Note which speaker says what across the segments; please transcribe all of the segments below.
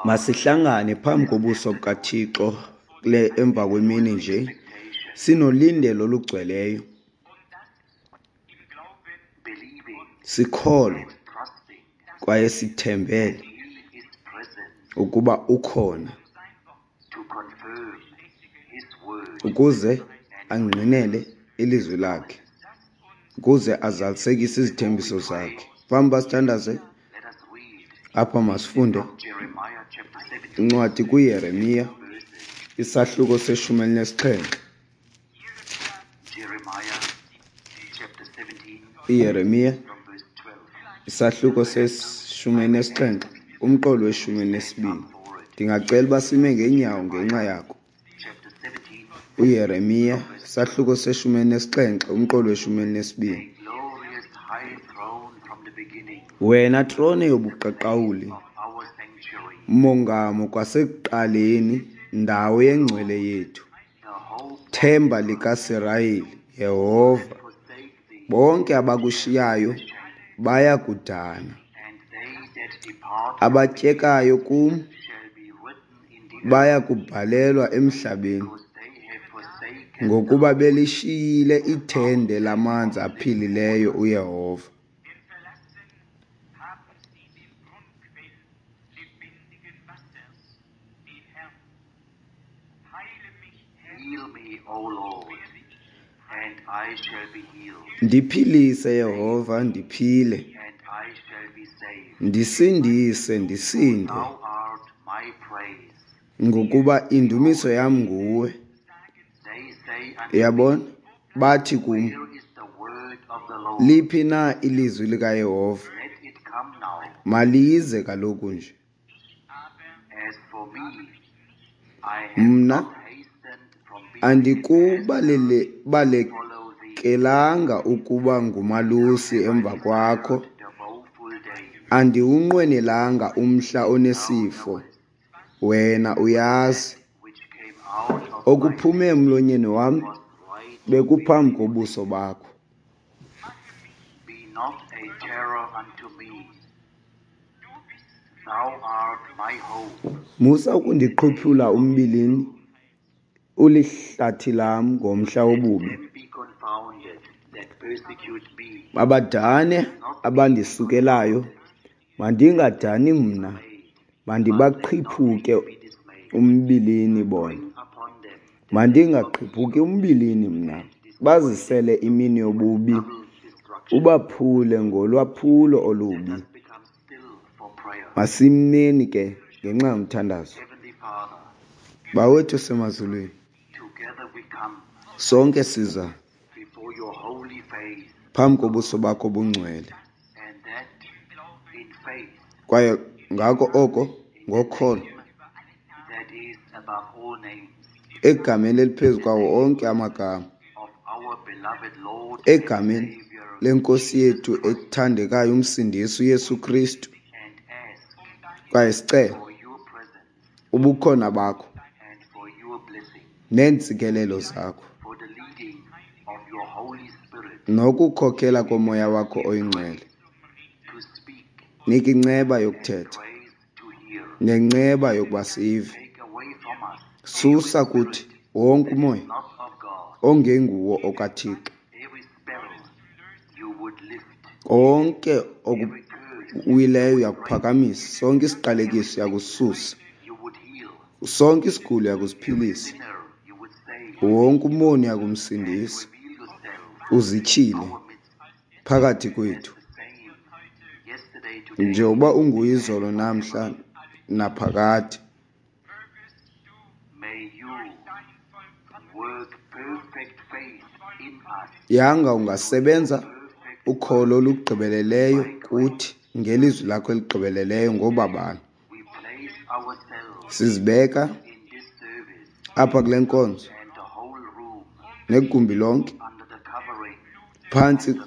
Speaker 1: Masihlangane phambi kobuso bukaThixo kule emva kwemini nje sinolindelo olugcweleyo, sikholwa kwaye sithembele ukuba ukhona ukuze angqinele ilizwi lakhe, ukuze azalisekise izithembiso zakhe. Phambi uba sithandaze apha, masifunde incwadi kuYeremiya isahluko se-17. IYeremiya isahluko se-17 umqolo we-12. Ndingacela uba sime ngeenyawo ngenxa yako. UYeremiya isahluko se-17 umqolo we-12. Wena trone yobuqaqawuli, mongamo kwasekuqaleni, ndawo yengcwele yethu, themba likaSirayeli, Yehova, bonke abakushiyayo baya kudana, abatyekayo kum baya kubhalelwa emhlabeni, ngokuba belishiyile ithende lamanzi aphilileyo uYehova. Ndiphilise, Yehova, ndiphile, ndisindise, ndisinde, ngokuba indumiso yam nguwe. Uyabona, bathi kum, liphi na ilizwi likaYehova? Malize kaloku nje. Mna andikubalekelanga ukuba ngumalusi emva kwakho, andiwunqwenelanga umhla onesifo, wena uyazi. Okuphume emlonyeni wam bekuphambi kobuso bakho. Musa ukundiqhuphula umbilini, ulihlathi lam ngomhla wobubi. Mabadane abandisukelayo, mandingadani mna, mandibaqhiphuke umbilini bona. Mandingaqhiphuki umbilini mna, bazisele imini yobubi, ubaphule ngolwaphulo olubi. Masimeni ke ngenxa yomthandazo. Bawethu osemazulwini, sonke siza phambi kobuso bakho obungcwele, kwaye ngako oko ngokholo egameni eliphezu kwawo onke amagama, egameni leNkosi yethu ethandekayo uMsindisi uYesu Kristu, kwaye sicele ubukhona bakho neentsikelelo zakho nokukhokhela koMoya wakho oyiNgcwele. Nika inceba yokuthetha nenceba yokuba sive. Susa kuthi wonke umoya ongenguwo okaThixo, konke okuwileyo uyakuphakamisa, sonke isiqalekiso uyakususa, sonke isigulo uyakusiphilisa, wonke umoni uyakumsindisa, uzityhile phakathi kwethu njengoba unguye izolo namhla naphakade. Yanga ungasebenza ukholo olugqibeleleyo kuthi ngelizwi lakho eligqibeleleyo ngobabalo. Sizibeka apha kule nkonzo negumbi lonke phantsi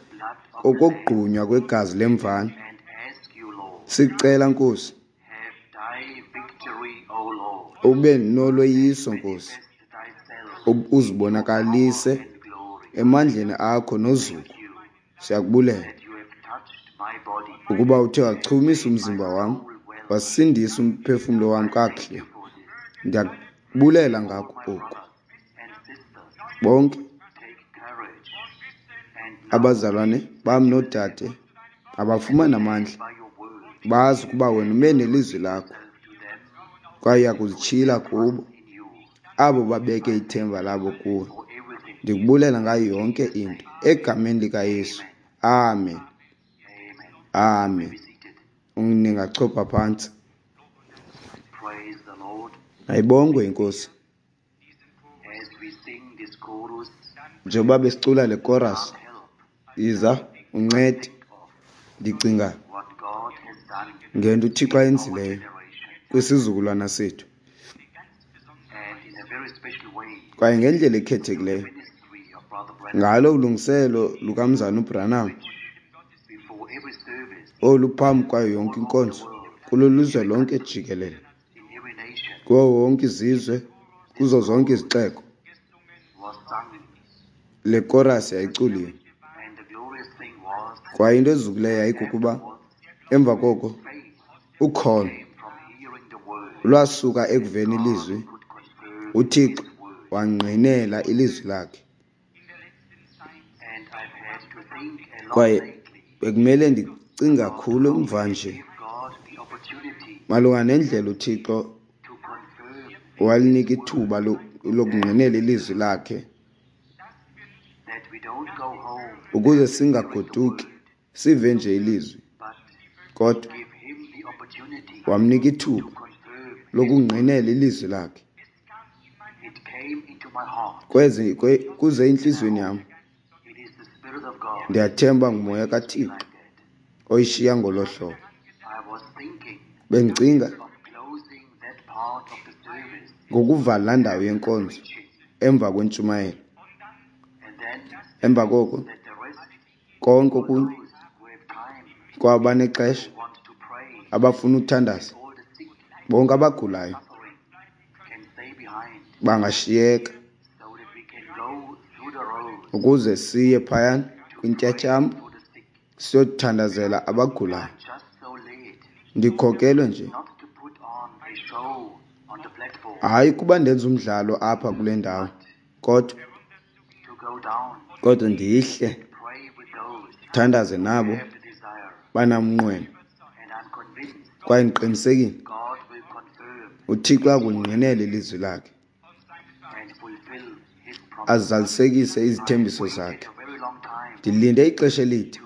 Speaker 1: kokogqunywa kwegazi lemvana. Sicela, Nkosi, ube noloyiso, Nkosi, uzibonakalise emandleni akho nozuko. Siyakubulela Ukuba uthe wachumisa umzimba wam, wasindisa umphefumlo wam kakuhle. Ndiyakubulela ngako oku. Bonke abazalwane bam noodade abafumane amandla, bazi ukuba wena ume nelizwi lakho kwaye uyakuzityhila kubo abo babeke ithemba labo kuwe. Ndikubulela ngayo yonke into egameni likaYesu. Amen. Amen. Ningachopha phantsi. Ayibongwe inkosi. Njengoba besicula le chorus, yiza uncede. Ndicinga ngento uThixo ayenzileyo kwisizukulwana sethu. Kwaye ngendlela ekhethekileyo ngalo ulungiselo lukamzana uBranham oluphambi kwayo yonke inkonzo kulo lizwe lonke jikelele, kuwo wonke izizwe, kuzo zonke izixeko, le chorus yayiculiwe. Kwaye into ezukileyo yayikukuba emva koko ukholo lwasuka ekuveni ilizwi, uThixo wangqinela ilizwi lakhe. Kwaye bekumele ndicinga kakhulu emva nje malunga nendlela uThixo walinika ithuba lokungqinela ilizwi lakhe ukuze singagoduki sive nje ilizwi, kodwa wamnika ithuba lokungqinela ilizwi lakhe. Kweze kuze entliziyweni yam, ndiyathemba ngumoya kaThixo oyishiya ngolo hlobo. Bendicinga ngokuvala laa ndawo yenkonzo emva kwentshumayelo, emva koko konke okunye kwabo banexesha abafuna uthandaza, bonke abagulayo bangashiyeka ukuze siye phayana kwintyatyambo siyothandazela abagulayo. Ndikhokelwe nje, hayi kuba ndenza umdlalo apha kule ndawo, kodwa ndihle thandaze nabo banamnqweno. Kwaye ndiqinisekile uThixo uyakulingqinela ilizwi lakhe, azalisekise izithembiso zakhe. Ndilinde ixesha elide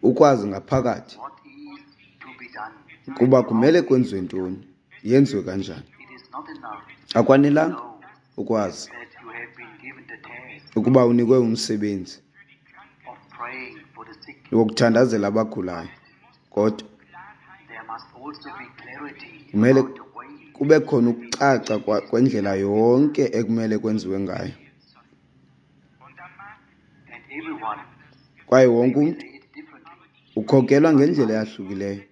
Speaker 1: ukwazi ngaphakathi ukuba kumele kwenziwe ntoni, yenziwe kanjani. Akwanelanga ukwazi ukuba unikwe umsebenzi wokuthandazela abagulayo, kodwa kumele kube khona ukucaca kwendlela yonke ekumele kwenziwe ngayo. Kwaye wonke umntu ukhokelwa ngendlela eyahlukileyo,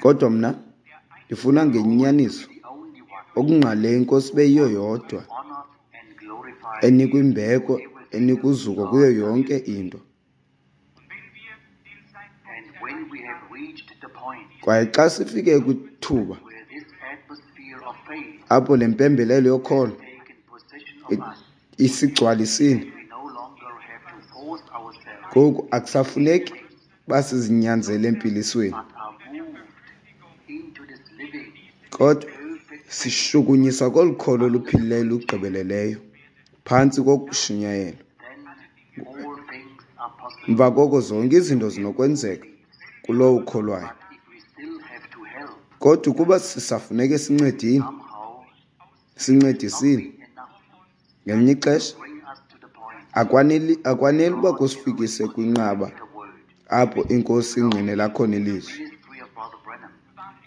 Speaker 1: kodwa mna ndifuna ngenyaniso okungqale inkosi beyiyo yodwa enikwa imbeko, enikwa uzuko kuyo yonke into. Kwaye xa sifike kwithuba apho le mpembelelo yokholo isigcwalisile, ngoku akusafuneki basizinyanzele empilisweni, kodwa sishukunyiswa kolu kholo luphilileyo lugqibeleleyo phantsi kokushunyayelwa. Emva koko zonke izinto zinokwenzeka kulowo ukholwayo. Kodwa ukuba sisafuneke sincedile, sincedisile ngelinye ixesha, akwaneli uba kusifikise kwinqaba apho inkosi ingqinela khona ilizwi.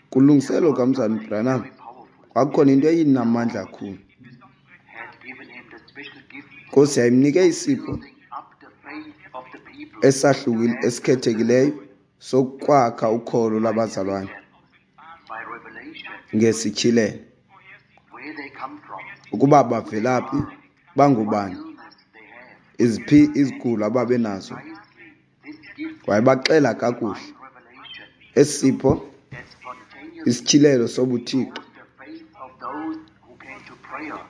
Speaker 1: Kulungiselelo lukamzana uBranham kwakukhona into eyinamandla kakhulu. Inkosi yayimnike isipho esahlukile esikhethekileyo sokwakha ukholo lwabazalwane ngesityhilelo, ukuba bavelaphi, bangobani, iziphi izigulo ababenazo. Wayebaxela kakuhle. Esi sipho, isityhilelo sobuthixo,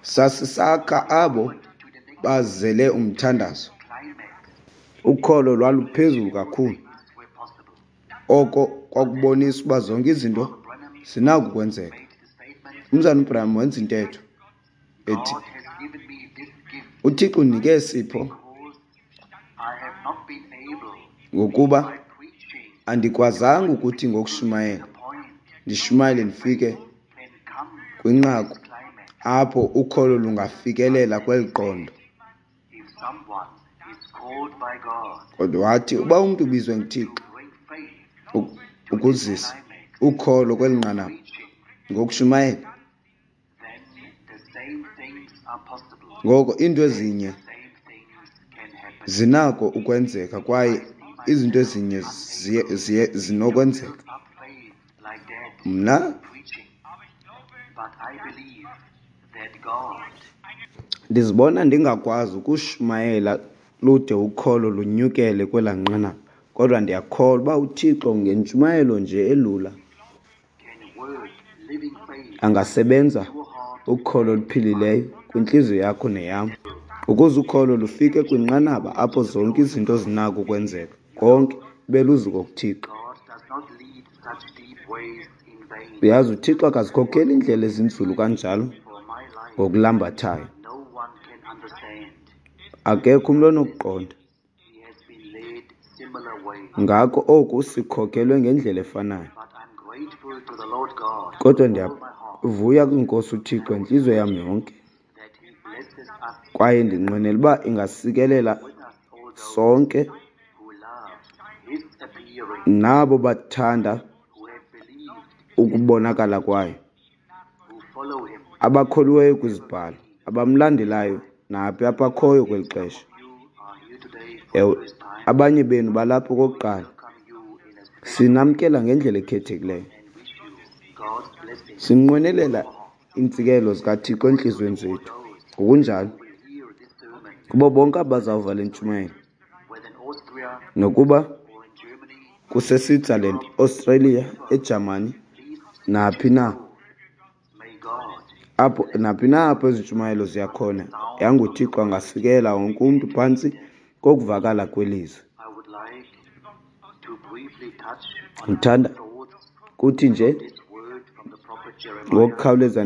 Speaker 1: sasisakha abo bazele umthandazo. Ukholo lwaluphezulu kakhulu. Oko kwakubonisa ukuba zonke izinto zinako ukwenzeka. Umzalwana uBranham wenza intetho ethi, uThixo undinike isipho ngokuba andikwazanga ukuthi ngokushumayela ndishumayele ndifike kwinqaku apho ukholo lungafikelela kweli qondo. Kodwa wathi uba umntu ubizwe nguThixo ukuzisa ukholo kweli nqanaba ngokushumayela, ngoko iinto ezinye zinako ukwenzeka kwaye izinto ezinye zinokwenzeka. Mna ndizibona ndingakwazi ukushumayela lude ukholo lunyukele kwelaa nqanaba, kodwa ndiyakholwa uba uThixo ngentshumayelo nje elula angasebenza ukholo oluphilileyo kwintliziyo yakho neyam, ukuze ukholo lufike kwinqanaba apho zonke izinto zinako ukwenzeka, konke ibe luzuko kuThixo. Uyazi, uThixo akazikhokheli iindlela ezinzulu kanjalo ngokulambathayo. Akekho umntu onokuqonda. Ngako oku sikhokhelwe ngendlela efanayo. Kodwa ndiyavuya kwiNkosi uThixo ngentliziyo yam yonke, kwaye ndinqwenela uba ingasikelela sonke nabo bathanda ukubonakala kwayo, abakholiweyo kwizibhalo, abamlandelayo naphi apho akhoyo kweli xesha. Ewe, abanye benu balapha okokuqala. Sinamkela ngendlela ekhethekileyo. Sinqwenelela iintsikelelo zikaThixo entliziyweni zethu. Ngokunjalo, kubo bonke abazawuva le ntshumayelo, nokuba kuseSwitzerland, Australia, eJamani, naphi na apho, naphi na apho ezi ntshumayelo ziya khona, yanguThixo angasikelela wonke umntu phantsi kokuvakala kwelizwi. Ndithanda kuthi nje ngokukhawuleza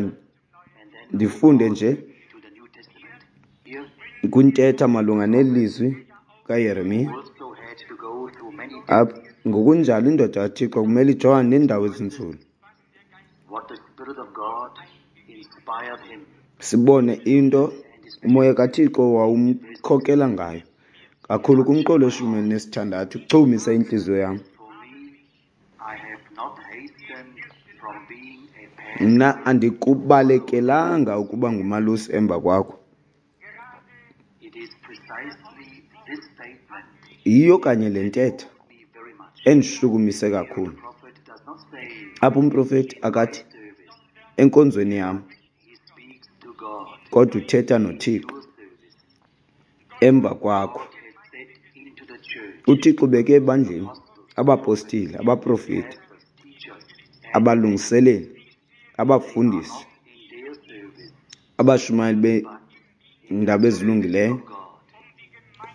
Speaker 1: ndifunde nje kwintetha malunga neli lizwi kaYeremiya. Apha ngokunjalo indoda kaThixo kumele ijongane neendawo ezinzulu. Sibone into uMoya kaThixo wawumkhokela ngayo kakhulu kumqolo weshumi elinesithandathu uchumise intliziyo yam. Mna andikubalekelanga ukuba ngumalusi emva kwakho. Yiyo kanye le ntetha endishukumise kakhulu. Apha umprofeti akathi enkonzweni yam, kodwa uthetha noThixo emva kwakho. UThixo ubeke ebandleni abapostile, abaprofeti, abalungiseleli, abafundisi, abashumayeli beendaba ezilungileyo,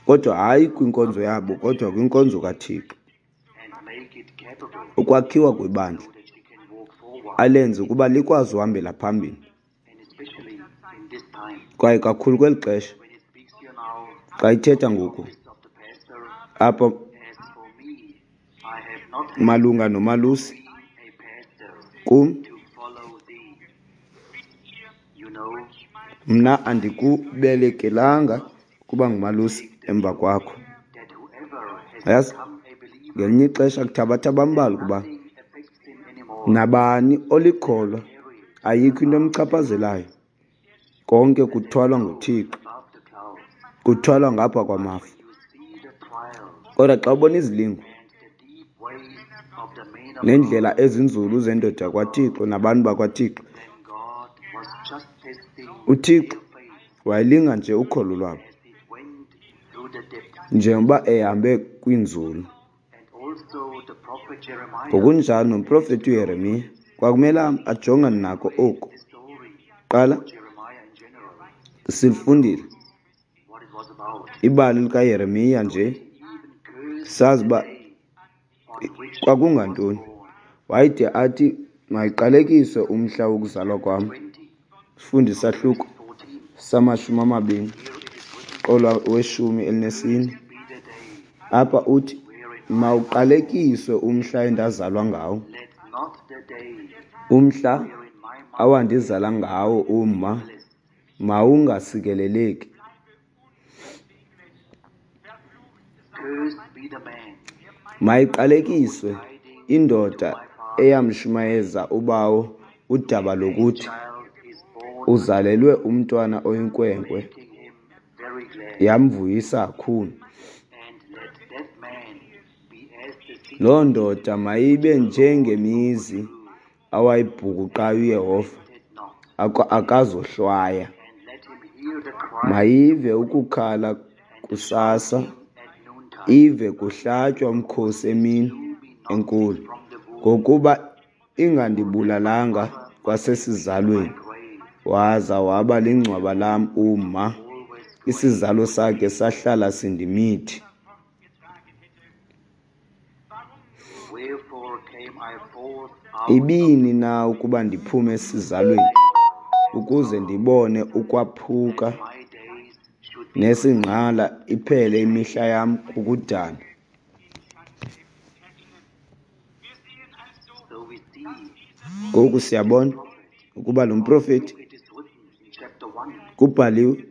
Speaker 1: kodwa hayi kwinkonzo yabo, kodwa kwinkonzo kaThixo. Ukwakhiwa kwebandla alenze ukuba likwazi uhambela phambili, kwaye kakhulu kweli xesha xa ithetha ngoku apha malunga nomalusi kum, mna andikubelekelanga ukuba ngumalusi emva kwakho. Yazi, ngelinye ixesha kuthabatha abambalwa ukuba nabani olikholwa ayikho into emchaphazelayo, konke kuthwalwa nguThixo, kuthwalwa ngapha kwamafu. Kodwa xa ubona izilingo neendlela ezinzulu zendoda yakwaThixo nabantu bakwaThixo, uThixo wayelinga nje ukholo lwabo njengoba ehambe kwiinzulu. Ngokunjalo nomprofeti uYeremiya kwakumele ajongane nako oku. Qala silifundile ibali likaYeremiya nje, sazi uba kwakungantoni. Wayede athi mayiqalekiswe umhla wokuzalwa kwam. Sifunde isahluko sama-20 qolo we-14. Apha uthi mawuqalekiswe umhla endazalwa ngawo, umhla awandizala ngawo umma mawungasikeleleki. Mayiqalekiswe indoda eyamshumayeza ubawo udaba lokuthi uzalelwe umntwana oyinkwenkwe, yamvuyisa kakhulu. Loo ndoda mayibe njengemizi awayibhukuqayo uYehova, akazohlwaya. Mayive ukukhala kusasa, ive kuhlatywa umkhosi emini enkulu, ngokuba ingandibulalanga kwasesizalweni, waza waba lingcwaba lam umma, isizalo sakhe sahlala sindimithi. Ibini na ukuba ndiphume esizalweni, ukuze ndibone ukwaphuka nesingqala, iphele imihla yam kukudana? Ngoku siyabona ukuba lo mprofeti kubhaliwe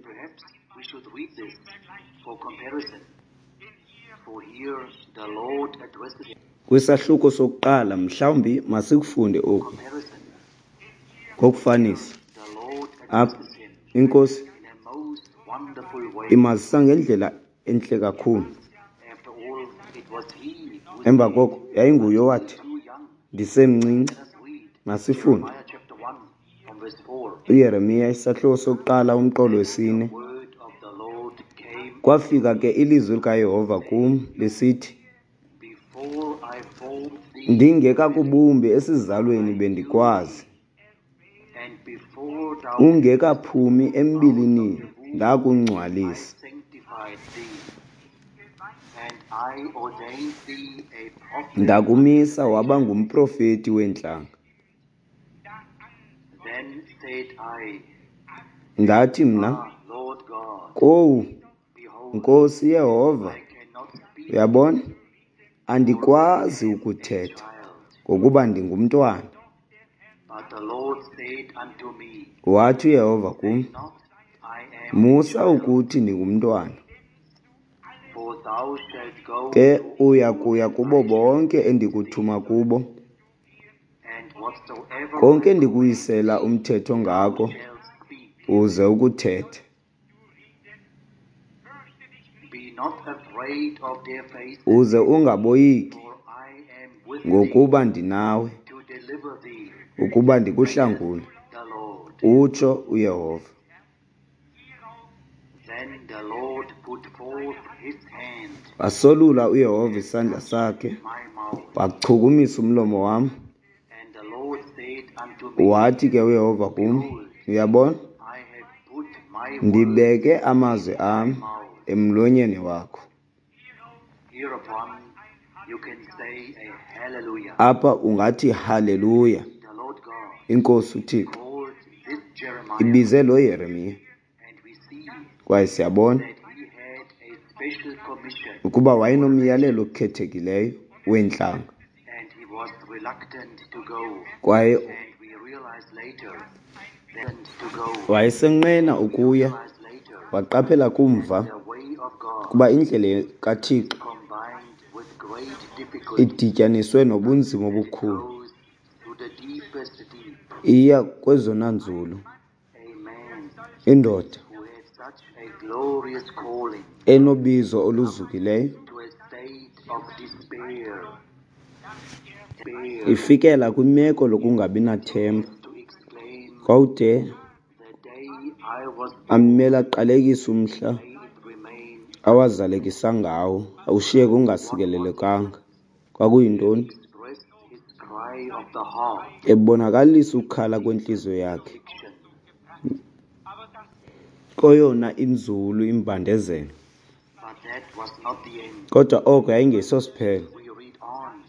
Speaker 1: kwisahluko sokuqala, mhlawumbi masikufunde oku ngokufanisa. Apha iNkosi imazisa ngendlela entle kakhulu. Emva koko yayinguye owathi, ndisemncinci. Masifunde uYeremiya isahluko sokuqala umqolo wesine. Kwafika ke ilizwi likaYehova kum lisithi, ndingekakubumbi esizalweni bendikwazi, ungekaphumi embilinini ndakungcwalisa. Ndakumisa waba ngumprofeti weentlanga. Ndathi mna, kowu, Nkosi Yehova, uyabona, andikwazi ukuthetha, ngokuba ndingumntwana. Wathi uYehova kum, musa ukuthi ndingumntwana, ke uya kuya kubo bonke endikuthuma kubo, konke endikuyisela umthetho ngako, uze ukuthethe. Uze ungaboyiki, ngokuba ndinawe, ukuba ndikuhlangule, utsho uYehova. Wasolula uYehova isandla sakhe, wachukumisa umlomo wam. Wathi ke uYehova kum, uyabona, ndibeke amazwi am emlonyeni wakho. Apha ungathi haleluya. INkosi uThixo ibize lo Yeremiya, kwaye siyabona ukuba wayenomyalelo okhethekileyo weentlanga, kwaye wayesenqena ukuya. Waqaphela kumva ukuba indlela kaThixo idityaniswe nobunzima obukhulu, iya kwezona nzulu. Indoda enobizo oluzukileyo ifikela kwimeko lokungabi nathemba, kwawude amele aqalekise umhla awazalekisa ngawo, ushiyeke ungasikelelekanga. Kwakuyintoni? Ebonakalisa ukukhala kwentliziyo yakhe koyona inzulu imbandezelo. Kodwa oko yayingesosiphelo.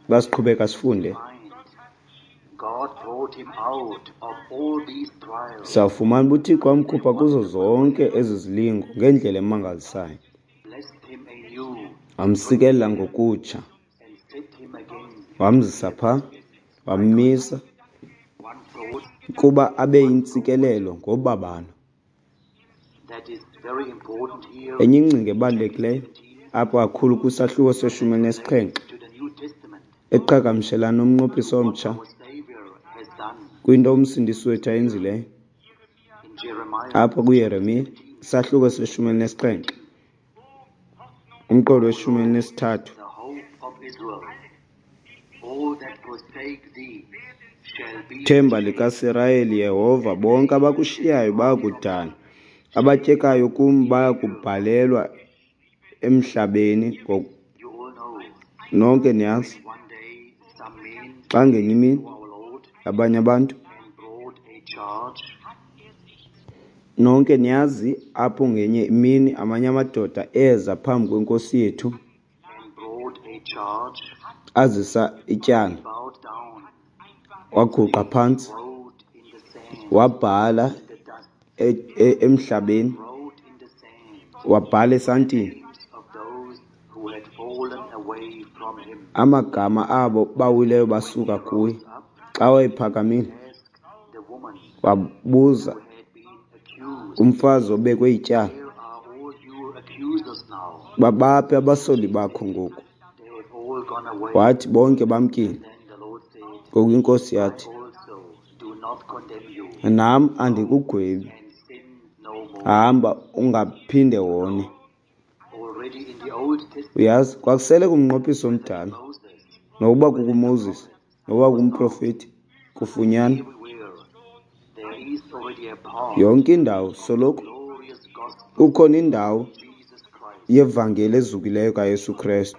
Speaker 1: Uba siqhubeka sifunde, sawufumana uba uThixo wamkhupha kuzo zonke ezi zilingo ngendlela emangalisayo, wamsikelela ngokutsha, wamzisa phaa, wammisa ukuba abe yintsikelelo ngobabalo. Enye ingcinga ebalulekileyo apha kakhulu kwisahluko seshumi elinesixhenxe eqhagamshelana nomnqophiso omtsha kwinto uMsindisi wethu ayenzileyo apha kuYeremiya, isahluko seshumi elinesixhenxe, umqolo weshumi elinesithathu. Themba likaSirayeli, Yehova, bonke abakushiyayo bayakudana, abatyekayo kum bayakubhalelwa emhlabeni. Nonke niyazi, xa ngenye imini abanye abantu, nonke niyazi apho ngenye imini amanye amadoda eza phambi kweNkosi yethu azisa ityala, waguqa phantsi, wabhala emhlabeni, wabhala esantini amagama abo bawileyo basuka kuye. Xa wayephakamile, wabuza kumfazi obekwe ityala, babaphi abasoli bakho ngoku? Wathi, bonke bamkile. Ngoku iNkosi yathi, nam andikugwebi, hamba ungaphinde wone. Uyazi, kwakusele kumnqophiso omdala, nokuba kukuMoses, nokuba kumprofeti, kufunyanwa yonke indawo soloko kukhona indawo yevangeli ezukileyo kaYesu Krestu.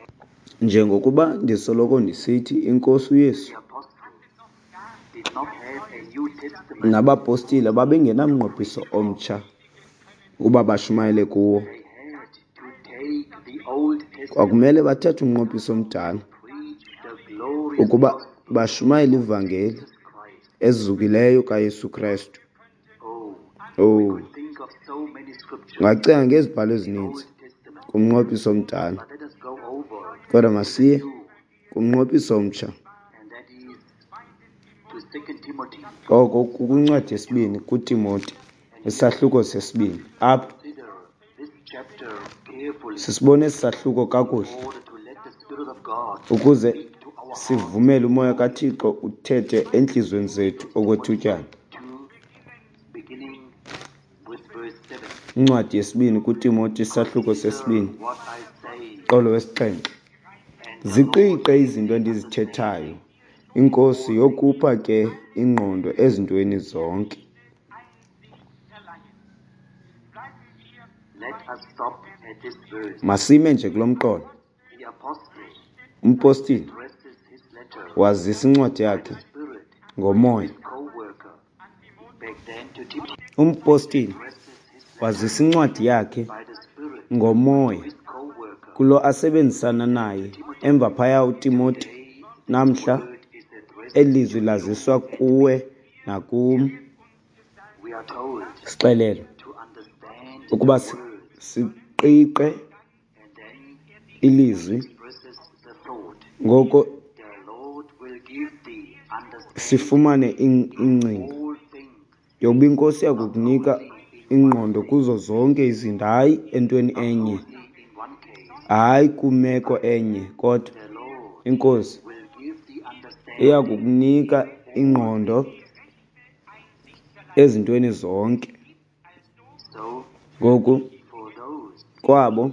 Speaker 1: Njengokuba ndisoloko ndisithi, iNkosi uYesu nabapostile babengenamnqophiso omtsha ukuba bashumayele kuwo. Kwakumele bathathe umnqophiso omdala ukuba bashumayele ivangeli ezukileyo kaYesu Krestu. Oh, ungacinga ngezibhalo ezininzi kumnqophiso omdala, kodwa masiye kumnqophiso omtsha. Oko kukwincwadi yesibini kuTimoti, isahluko sesibini. Apha sisibona esi sahluko kakuhle ukuze sivumele uMoya kaThixo uthethe entliziyweni zethu okwethutyana. Incwadi yesibini kuTimoti, isahluko sesibini, qolo wesixhenxe. Ziqiqe izinto endizithethayo, iNkosi yokupha ke ingqondo ezintweni zonke. Masime nje kulo mqolo. Umpostile wazisa incwadi yakhe ngoMoya. Umpostile wazisa incwadi yakhe ngoMoya kulo asebenzisana naye emva phaya uTimoti. Namhla eli lizwi laziswa kuwe nakum. Sixelelwe ukuba siqiqe ilizwi, ngoko sifumane ingcinga yokuba iNkosi iyakukunika ingqondo kuzo zonke izinto, hayi entweni enye, hayi kwimeko enye, kodwa iNkosi iyakukunika ingqondo ezintweni zonke. Ngoku kwabo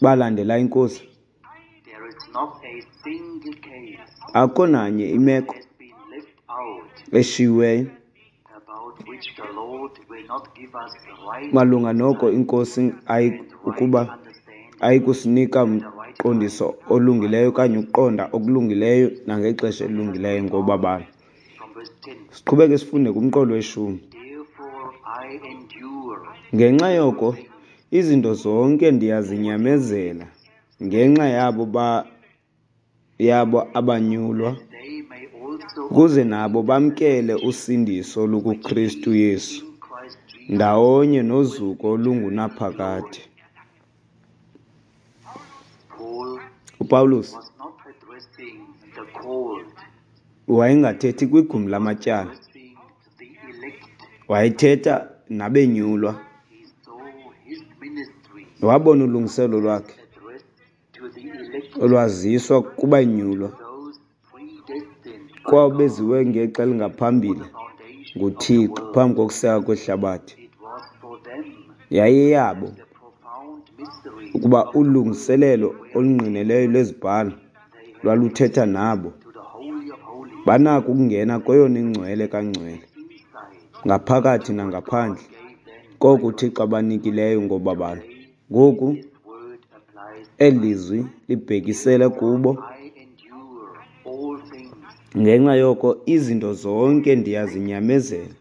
Speaker 1: balandela iNkosi, akukho nanye imeko eshiyiweyo malunga noko iNkosi ukuba Ayikusinika mqondiso olungileyo okanye ukuqonda okulungileyo nangexesha elilungileyo ngobabalo. Siqhubeke sifunde kumqolo weshumi. Ngenxa yoko izinto zonke ndiyazinyamezela ngenxa yabo yabo abanyulwa, ukuze nabo bamkele usindiso lukuKristu Yesu ndawonye nozuko olungunaphakade. UPawulos wayengathethi kwigumbi lamatyala, wayethetha nabenyulwa. Wabona ulungiselo lwakhe olwaziswa kubanyulwa kwabeziwe ngexa elingaphambili nguThixo phambi kokuseka kwehlabathi. Yayiyeyabo ukuba ulungiselelo olungqinelweyo lwezibhalo lwaluthetha nabo. Banako ukungena kweyona ingcwele kangcwele, ngaphakathi nangaphandle, koko uThixo abanikileyo ngobabalo. Ngoku eli lizwi libhekisele kubo. Ngenxa yoko izinto zonke ndiyazinyamezela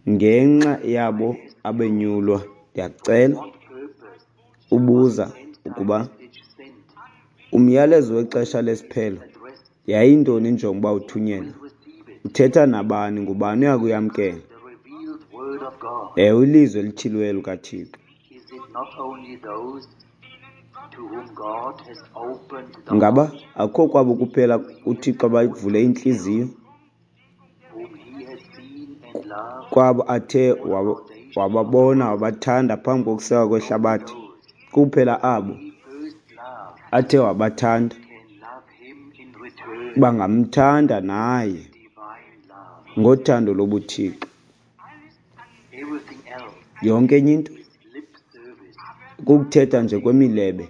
Speaker 1: ngenxa yabo abenyulwa. Ndiyakucela ubuza ukuba umyalezo wexesha lesiphelo yayintoni injongo uba uthunyelwe? Uthetha nabani? Ngubani oya kuyamkela? Ewe, ilizwi elityhiliweyo likaThixo. Ngaba akukho kwabo kuphela uThixo abavule intliziyo kwabo athe wababona wabathanda phambi kokusekwa kwehlabathi? Kuphela abo athe wabathanda bangamthanda naye ngothando lobuThixo. Yonke enye into kukuthetha nje kwemilebe.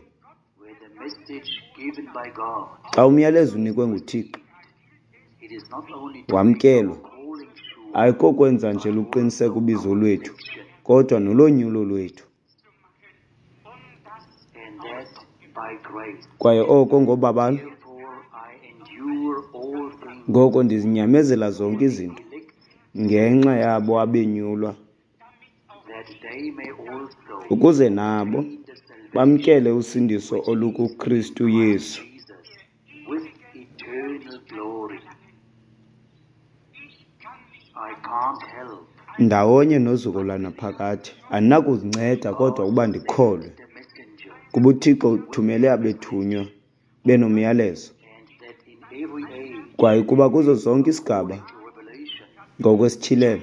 Speaker 1: Xa umyalezo unikwe nguThixo wamkelwa, ayikokwenza nje luqiniseke ubizo lwethu, kodwa nolonyulo lwethu. Kwaye oko ngobabalo. Ngoko ndizinyamezela zonke izinto ngenxa yabo abenyulwa, ukuze nabo bamkele usindiso olukuKristu Yesu. Ndawonye nozuko lwanaphakade. Andinakuzinceda kodwa ukuba ndikholwe, kuba uThixo uthumele abethunywa benomyalezo. Kwaye kuba kuzo zonke isigaba ngokwesityhilelo,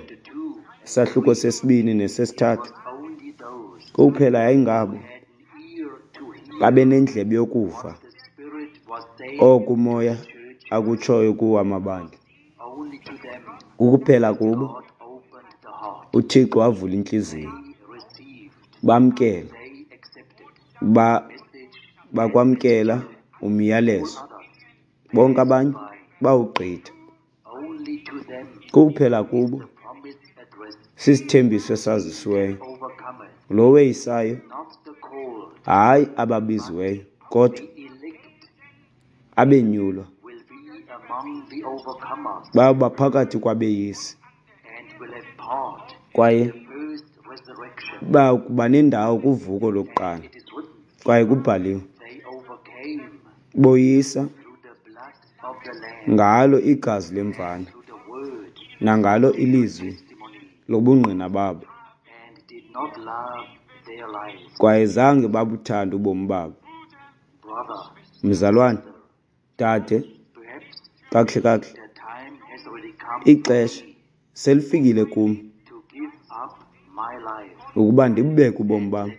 Speaker 1: isahluko sesibini nesesithathu, kuphela yayingabo babenendlebe yokuva oko uMoya akutshoyo kuwo amabandla. Kukuphela kubo uThixo wavula intliziyo, bamkela, bakwamkela umyalezo. Bonke abanye bawugqitha. Kukuphela kubo sisithembiso esazisiweyo. Lo weyisayo, hayi ababiziweyo, kodwa abenyulwa bayawuba phakathi kwabeyisi kwaye bayakuba nendawo kuvuko lokuqala. Kwaye kubhaliwe, boyisa ngalo igazi lemvana nangalo ilizwi lobungqina babo, kwaye zange babuthande ubomi babo. Mzalwane, dade, kakuhle kakuhle, ixesha selifikile kum ukuba ndibubeke ubomi bam,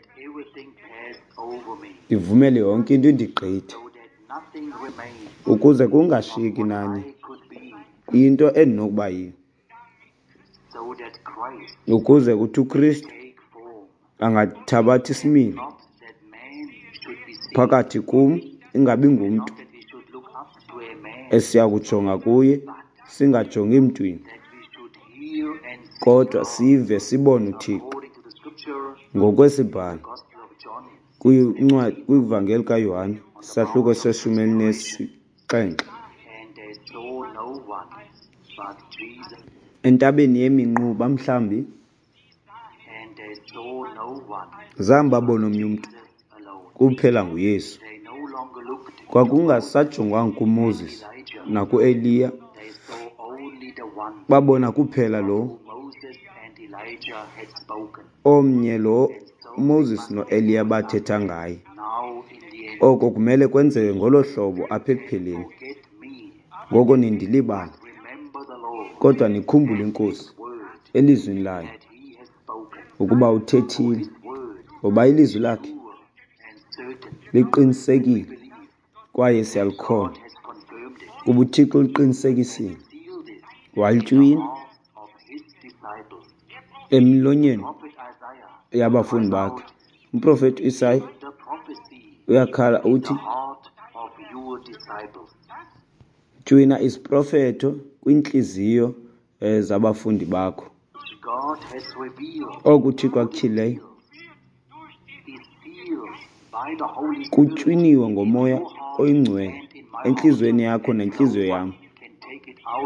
Speaker 1: ndivumele yonke into indigqithe, ukuze kungashiyeki nanye into endinokuba yiyo, ukuze kuthi uKristu angathabatha isimilo phakathi kum, ingabi ngumntu esiya kujonga kuye, singajongi mntwini, kodwa sive sibone uThixo ngokwesiBhalo, Kwincwadi kwivangeli kaYohane, isahluko seshumi elinesixhenxe. Entabeni yeminquba mhlawumbi zange babone omnye umntu kuphela nguYesu. Kwakungasajongwanga kuMoses nakuEliya, babona kuphela lo omnye lo uMoses noEliya bathetha ngaye. Oko kumele kwenzeke ngolo hlobo apha ekupheleni. Ngoko nindilibala, kodwa nikhumbule iNkosi elizwini layo ukuba uthethile, ngoba ilizwi lakhe liqinisekile kwaye siyalikholwa kuba uThixo uliqinisekisile walitywina emilonyeni yabafundi bakhe. Umprofeti uIsaya uyakhala uthi, tywina isiprofeto kwiintliziyo zabafundi bakho. Oku uThixo akutyhileyo kutywiniwe ngoMoya oyiNgcwele entliziyweni yakho nentliziyo yam.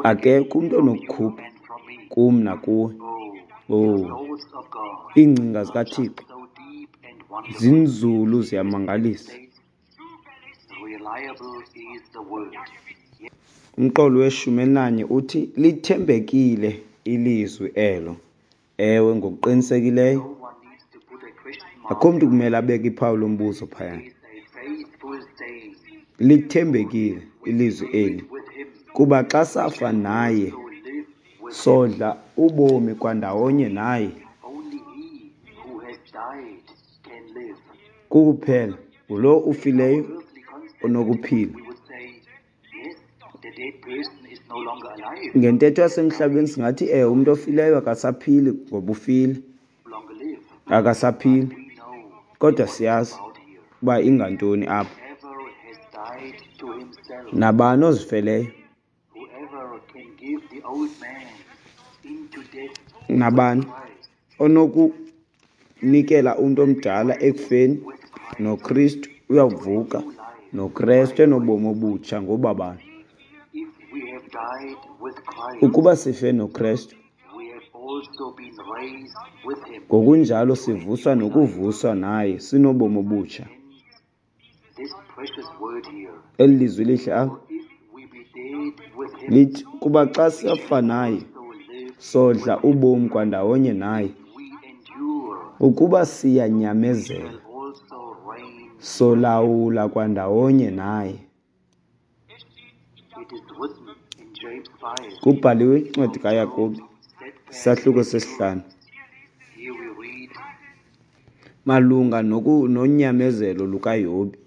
Speaker 1: Akekho umntu onokukhupha kum nakuwe. Oh, iingcinga zikaThixo zinzulu ziyamangalisa. Umqolo weshumi elinanye uthi lithembekile ilizwi elo. Ewe, ngokuqinisekileyo. Akho mntu kumele abeke iphawu lombuzo phayana. Lithembekile ilizwi eli, kuba xa safa naye sodla ubomi kwandawonye naye. Kuphela ngulo ufileyo onokuphila. Ngentetho yasemhlabeni singathi ewe, umntu ofileyo akasaphili ngoba ufile, akasaphili. Kodwa siyazi uba ingantoni apha. Nabani ozifeleyo, nabani onokunikela umntu omdala ekufeni noKristu uyavuka noKristu enobomi obutsha ngobabalo. Ukuba sife noKristu, ngokunjalo sivuswa nokuvuswa naye sinobomi obutsha. Eli lizwi lihle apha lithi, kuba xa safa naye sodla ubomi kwandawonye naye. Ukuba siyanyamezela, solawula kwandawonye naye. Kubhaliwe incwadi kaYakobi, isahluko sesihlanu, malunga nonyamezelo lukaYobi.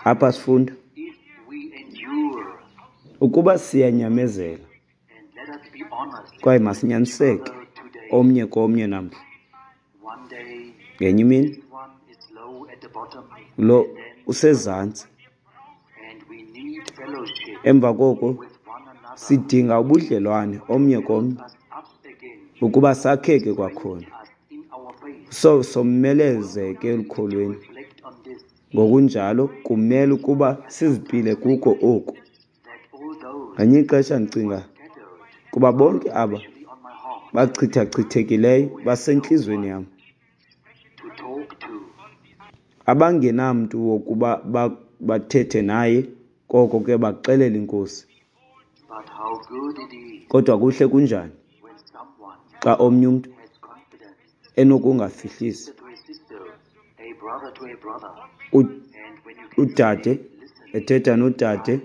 Speaker 1: Apha sifunda ukuba siyanyamezela kwaye masinyaniseke omnye komnye namhla. Ngenye imini lo usezantsi, emva koko sidinga ubudlelwane omnye komnye ukuba sakheke kwakhona, so somelezeke elukholweni. Ngokunjalo kumele ukuba sizipile kuko oku. Ngelinye ixesha ndicinga kuba bonke aba bachithachithekileyo basentliziyweni yam, abangenamntu wokuba bathethe naye, koko ke baxelela iNkosi. Kodwa kuhle kunjani xa omnye umntu enokungafihlisi, udade ethetha nodade,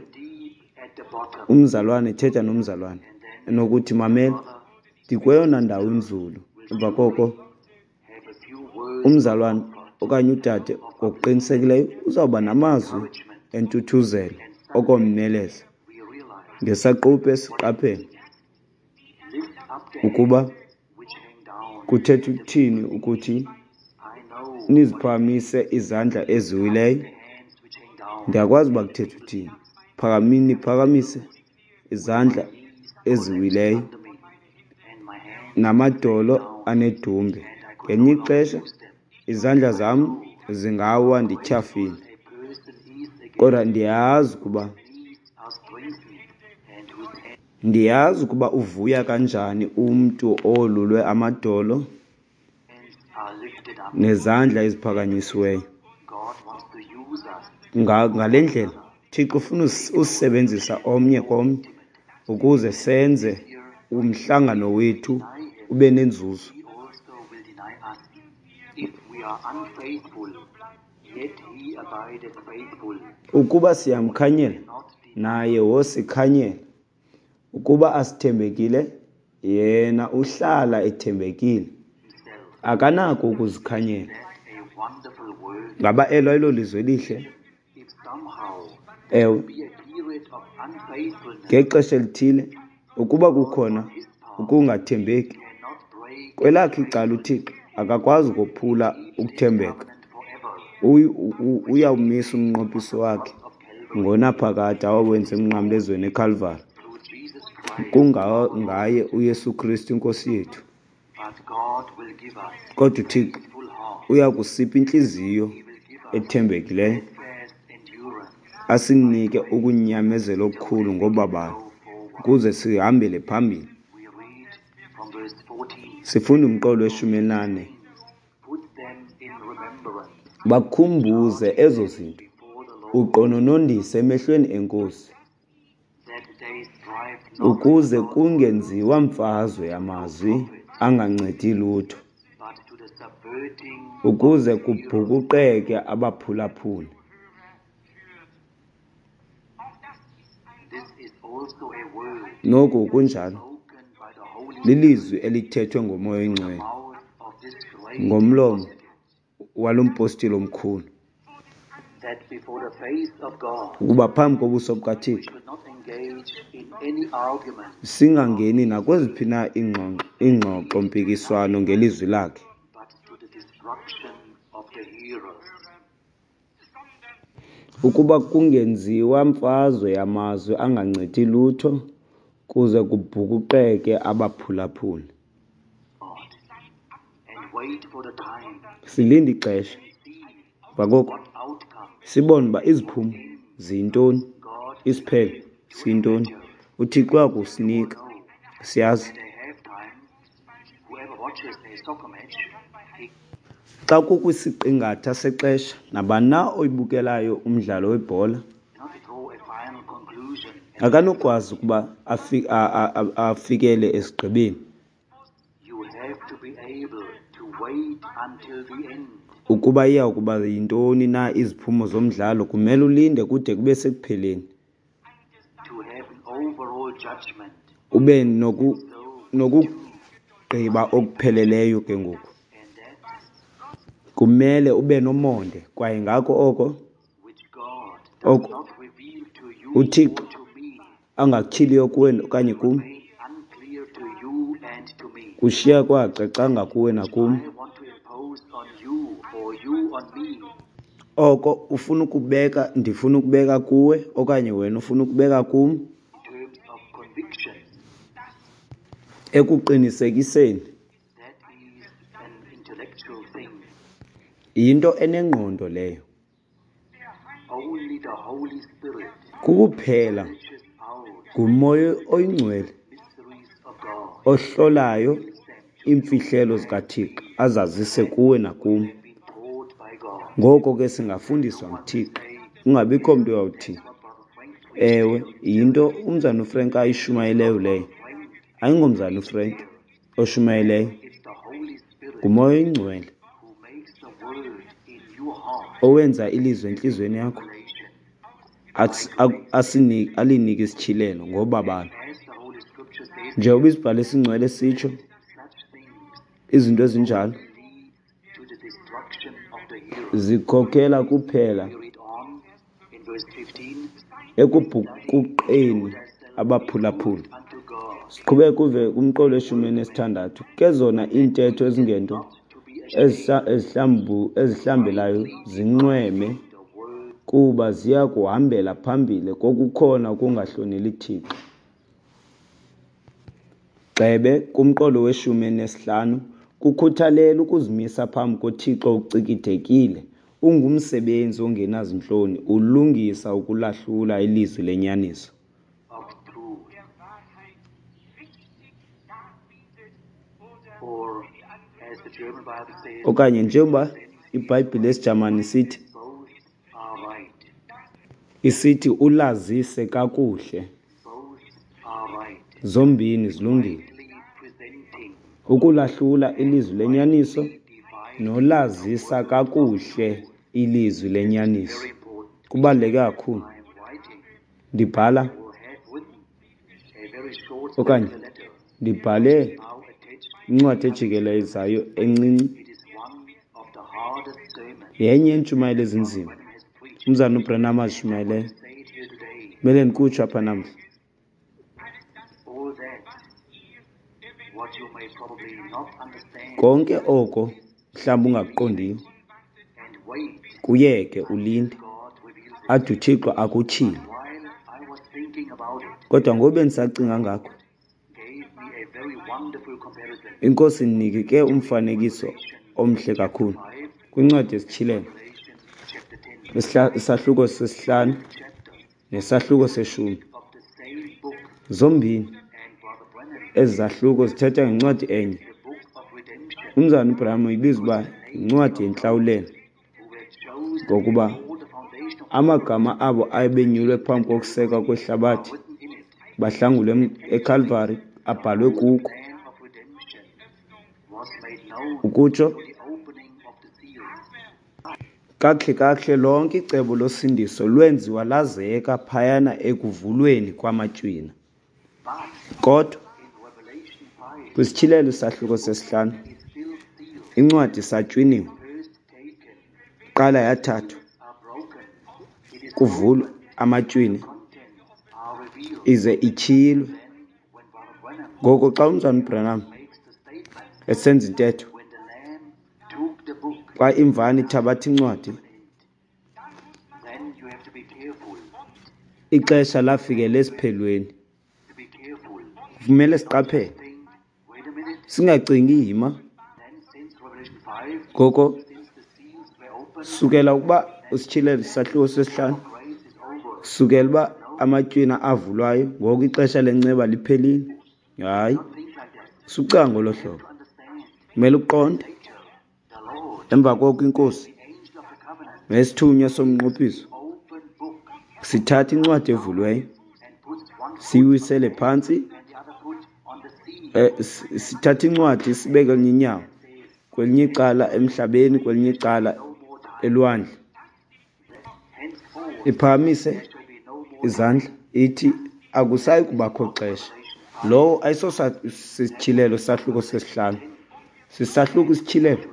Speaker 1: umzalwane ethetha nomzalwane, enokuthi, mamela, ndikweyona ndawo inzulu. Emva koko umzalwane okanye udade ngokuqinisekileyo uzawuba namazwi entuthuzelo okomeleza. Ngesaquphe siqaphele ukuba kuthetha ukuthini ukuthi niziphakamise izandla eziwileyo. Ndiyakwazi uba kuthetha uthini. Phakamini, niphakamise izandla eziwileyo namadolo anedumbe. Ngelinye ixesha izandla zam zingawa ndityhafile, kodwa ndiyazi ukuba ndiyazi ukuba uvuya kanjani umntu owolulwe amadolo nezandla eziphakanyisiweyo. Ngale ndlela, Thixo ufuna usisebenzisa omnye komnye ukuze senze umhlangano wethu ube nenzuzo. Ukuba siyamkhanyela, naye wosikhanyela. Ukuba asithembekile, yena uhlala ethembekile, akanako ukuzikhanyela. Ngaba elo ayilolizwi elihle? Ewe. Ngexesha elithile, ukuba kukhona ukungathembeki, kwelakhe icala uThixo akakwazi ukophula ukuthembeka. Uyawumisa umnqophiso wakhe ngonaphakade awawenza emnqamlezweni eKhalvari kungaye uYesu Kristu iNkosi yethu. Kodwa uThixo uya kusipha intliziyo ethembekileyo, asinike ukunyamezela okukhulu ngobabalo ukuze sihambele phambili. Sifunda umqolo weshumi elinane. Bakhumbuze ezo zinto, uqononondise emehlweni eNkosi, ukuze kungenziwa mfazwe yamazwi angancedi lutho, ukuze kubhukuqeke abaphulaphuli. Noku kunjalo lilizwi elithethwe ngoMoya oyiNgcwele ngomlomo walo mpostile omkhulu, ukuba phambi kobuso bukaThixo singangeni nakweziphi na iingxoxo-mpikiswano ngelizwi lakhe. Ukuba kungenziwa mfazwe yamazwi angancedi lutho, kuze kubhukuqeke abaphulaphuli. Silinde ixesha, emva koko sibone uba iziphumo ziyintoni, isiphelo siyintoni. UThixo uya kusinika, siyazi. Xa kukwisiqingatha sexesha, nabani na oyibukelayo umdlalo webhola akanokwazi ukuba afikele esigqibeni. Ukuba iya kuba yintoni na iziphumo zomdlalo kumele ulinde kude kube sekupheleni. Ube nokugqiba okupheleleyo ke ngoku. Kumele ube nomonde kwaye ngako oko oko uThixo angakutyhiliyo kuwe okanye kum kushiya kwacacanga kuwe nakum. Oko ufuna ukubeka, ndifuna ukubeka kuwe okanye wena ufuna ukubeka kum ekuqinisekiseni yinto enengqondo leyo. Kukuphela nguMoya oyiNgcwele ohlolayo iimfihlelo zikaThixo azazise kuwe nakum. Ngoko ke singafundiswa nguThixo, kungabikho mntu uyawuthi, ewe, yinto umzana uFrank ayishumayeleyo leyo. Ayingomzana uFrank oshumayeleyo, nguMoya oyiNgcwele owenza ilizwi entliziyweni yakho alinike isityhilelo ngobabalo. Njengoba isibhalo esingcwele sitsho, izinto ezinjalo zikhokela kuphela ekubhukuqeni abaphulaphuli. Siqhubeke kuve kumqolo weshumi elinesithandathu. Ke zona iintetho ezingento ezihlambelayo zinxweme, kuba ziya kuhambela phambili kokukhona ukungahloneli Thixo. Gxebe, kumqolo weshumi elinesihlanu, kukhuthalele ukuzimisa phambi koThixo ucikidekile, Ungumsebenzi ongenazintloni ulungisa ukulahlula ilizwi lenyaniso. Okanye njengoba iBhayibhile yesiJamani isithi, isithi ulazise kakuhle. Zombini zilungile. Ukulahlula ilizwi lenyaniso nolazisa kakuhle ilizwi lenyaniso kubaluleke kakhulu. Ndibhala okanye ndibhale incwadi ejikelezayo encinci yenye yeentshumayelo ezinzima umzana uBranham azishumayeleyo. Kumele ndikutsho apha namhla. Konke oko mhlawumbi ungakuqondiyo, kuyeke ulinde ade uThixo akutyhile. Kodwa ngoku bendisacinga ngako, iNkosi indinike ke umfanekiso omhle kakhulu kwincwadi yesiTyhilelo, isahluko sesihlanu nesahluko seshumi. Zombini ezi zahluko zithetha ngencwadi enye. Umzalwana uBranham uyibiza uba yincwadi yentlawulelo, ngokuba amagama abo abenyulwe phambi kokusekwa kwehlabathi bahlangulwe eKalvari abhalwe kuko. Ukutsho kakuhle kakuhle lonke icebo losindiso lwenziwa lazeka phayana ekuvulweni kwamatywina. Kodwa kwisityhilelo isahluko sesihlanu incwadi isatywiniwe, qala yathathwa kuvulwe amatywina ize ityhilwe. Ngoko xa umzalwana uBranham esenza intetho, xa imvana ithabatha incwadi, ixesha lafikela esiphelweni. Kumele siqaphele, singacingi yima. Ngoko sukela ukuba usityhilelo isahluko sesihlanu, sukela uba amatywina avulwayo, ngoku ixesha lenceba liphelile. Hayi, sukucinga ngolo hlobo. Kumele uqonde. Emva koko iNkosi nesithunywa somnqophiso sithatha incwadi evuliweyo siyiwisele phantsi, sithatha incwadi sibeke elinye inyawo kwelinye icala emhlabeni, kwelinye icala elwandle, iphakamise izandla ithi akusayi kubakho xesha. Lowo ayisosityhilelo sahluko sesihlanu, sisahluko isityhilelo,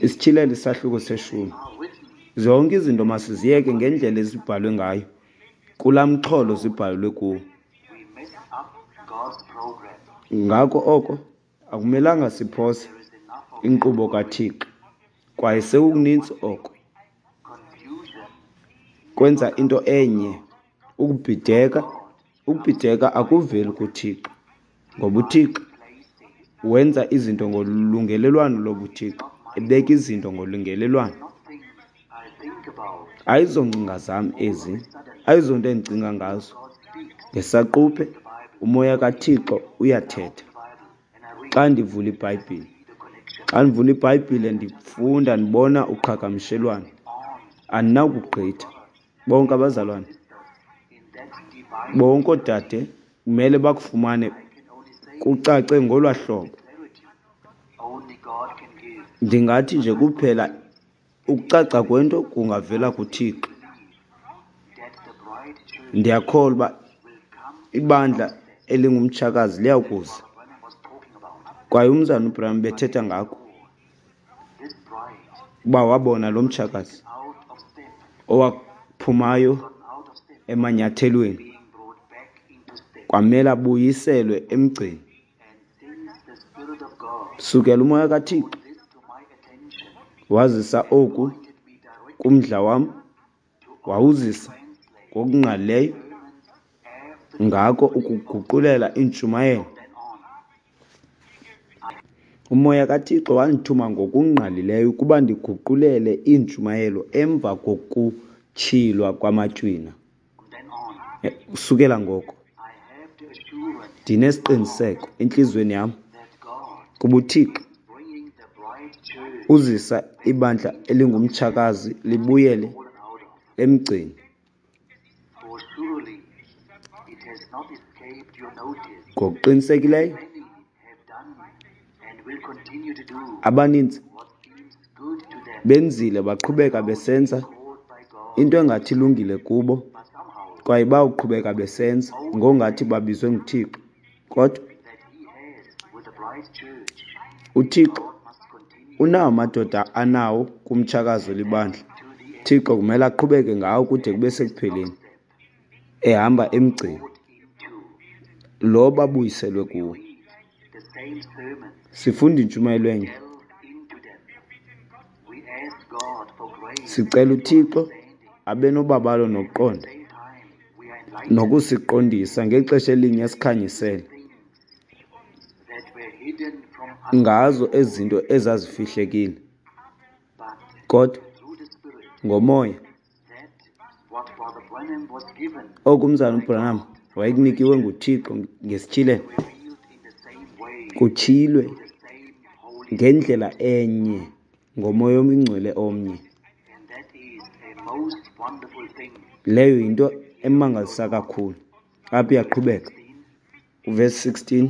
Speaker 1: isityhilelo isahluko seshumi. Zonke izinto masiziyeke ngendlela ezibhalwe ngayo kulaa mxholo zibhalwe kuwo. Ngako oko akumelanga siphose inkqubo kaThixo, kwaye sekukuninzi oko kwenza into enye ukubhideka. Ukubhideka akuveli kuThixo, ngoba uThixo wenza izinto ngolungelelwano lobuThixo, ebeka izinto ngolungelelwano. Ayizongcinga zam ezi, ayizonto endicinga ngazo. Ngesaquphe umoya kaThixo uyathetha xa ndivula iBhayibhile. Xa ndivula iBhayibhile ndifunda ndibona uqhagamshelwano, andinakugqitha. Bonke abazalwane, bonke oodade kumele bakufumane kucace ngolwa hlobo. Ndingathi nje kuphela ukucaca kwento kungavela kuThixo. Ndiyakholwa uba ibandla elingumtshakazi liyakuza, kwaye umzalwana uBranham bethetha ngako uba wabona lo mtshakazi owaphumayo emanyathelweni, kwamele abuyiselwe emgceni. Sukela umoya kaThixo wazisa oku kumdla wam, wawuzisa ngokungqalileyo ngako ukuguqulela iintshumayelo. Umoya kaThixo wandithuma ngokungqalileyo ukuba ndiguqulele iintshumayelo emva kokutyhilwa kwaMatywina. Kusukela ngoko, ndinesiqiniseko entliziyweni yam kuba uThixo uzisa ibandla elingumtshakazi libuyele emgceni. Ngokuqinisekileyo abaninzi benzile baqhubeka besenza into engathi ilungile kubo kwaye bawuqhubeka besenza ngongathi babizwe nguThixo. Kodwa uThixo unawo amadoda anawo kumtshakazi olibandla. Thixo kumele aqhubeke ngawo kude kube sekupheleni, ehamba emgceni lo babuyiselwe kuwo. Sifunda intshumayelo enye. Sicela uThixo abe nobabalo nokuqonda nokusiqondisa ngexesha elinye esikhanyisele ngazo ezi zinto ezazifihlekile. Kodwa ngoMoya, oku uMzalwana uBranham wayekunikiwe nguThixo ngesityhilelo, kutyhilwe ngendlela enye ngoMoya oyiNgcwele omnye. Leyo yinto emangalisa kakhulu. Apha iyaqhubeka uvesi 16.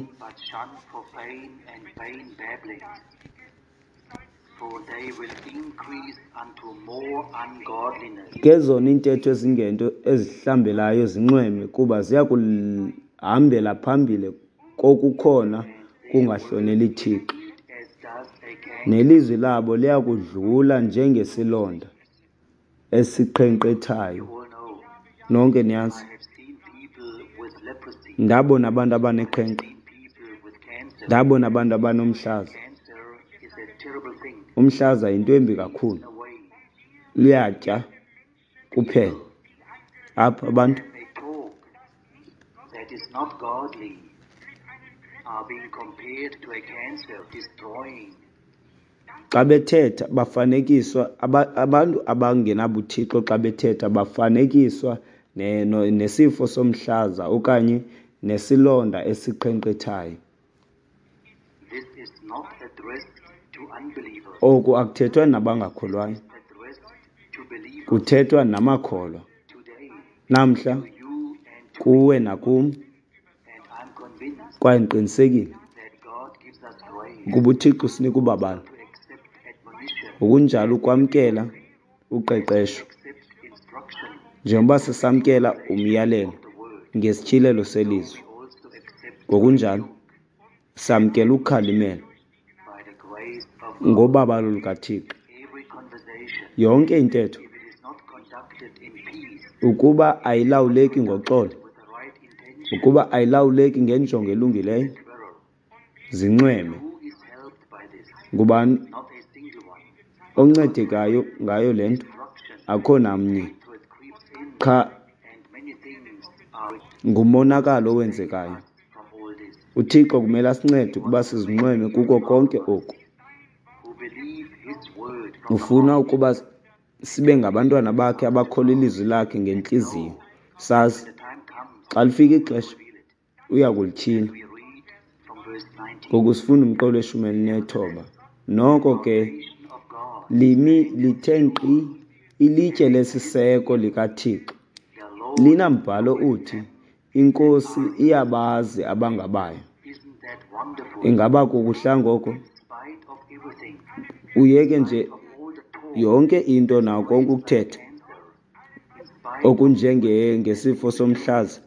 Speaker 1: Ke zona iintetho ezingento ezihlambelayo zinxweme, kuba ziya kuhambela phambili kokukhona kungahloneli Thixo. Nelizwi labo liya kudlula njengesilonda esiqhenkqethayo. Nonke niyazi, ndabona abantu abaneqhenqa, ndabona abantu abanomhlaza. Umhlaza yinto embi kakhulu, luyatya kuphela. Apha abantu xa bethetha bafanekiswa abantu abangenabuthixo xa bethetha bafanekiswa nesifo somhlaza okanye nesilonda esiqhenkqethayo. Oku akuthethwa nabangakholwayo, kuthethwa namakholwa. Namhla kuwe nakum, kwaye ndiqinisekile ukuba uThixo usinika ubabalo ngokunjalo ukwamkela uqeqesho njengoba sisamkela umyalelo ngesityhilelo selizwi, ngokunjalo samkela ukhalimelo ngobabalo lukaThixo. Yonke intetho, ukuba ayilawuleki ngoxolo, ukuba ayilawuleki ngenjongo elungileyo, zinxweme. Ngubani oncedekayo ngayo le nto? Akho namnye. Qha ngumonakalo owenzekayo. UThixo kumele asincede ukuba sizinxweme kuko konke oku. Ufuna ukuba sibe ngabantwana bakhe abakholwa ilizwi lakhe ngentliziyo, sazi xa lifika ixesha uya kulityhila. Ngoku sifunda umqolo weshumi elinethoba. Noko ke limi lithe nkqi ilitye lesiseko likaThixo, linambhalo uthi, iNkosi iyabazi abangabayo. Ingaba kukuhla ngoko? Uyeke nje yonke into nawo konke ukuthetha okunjengesifo somhlaza,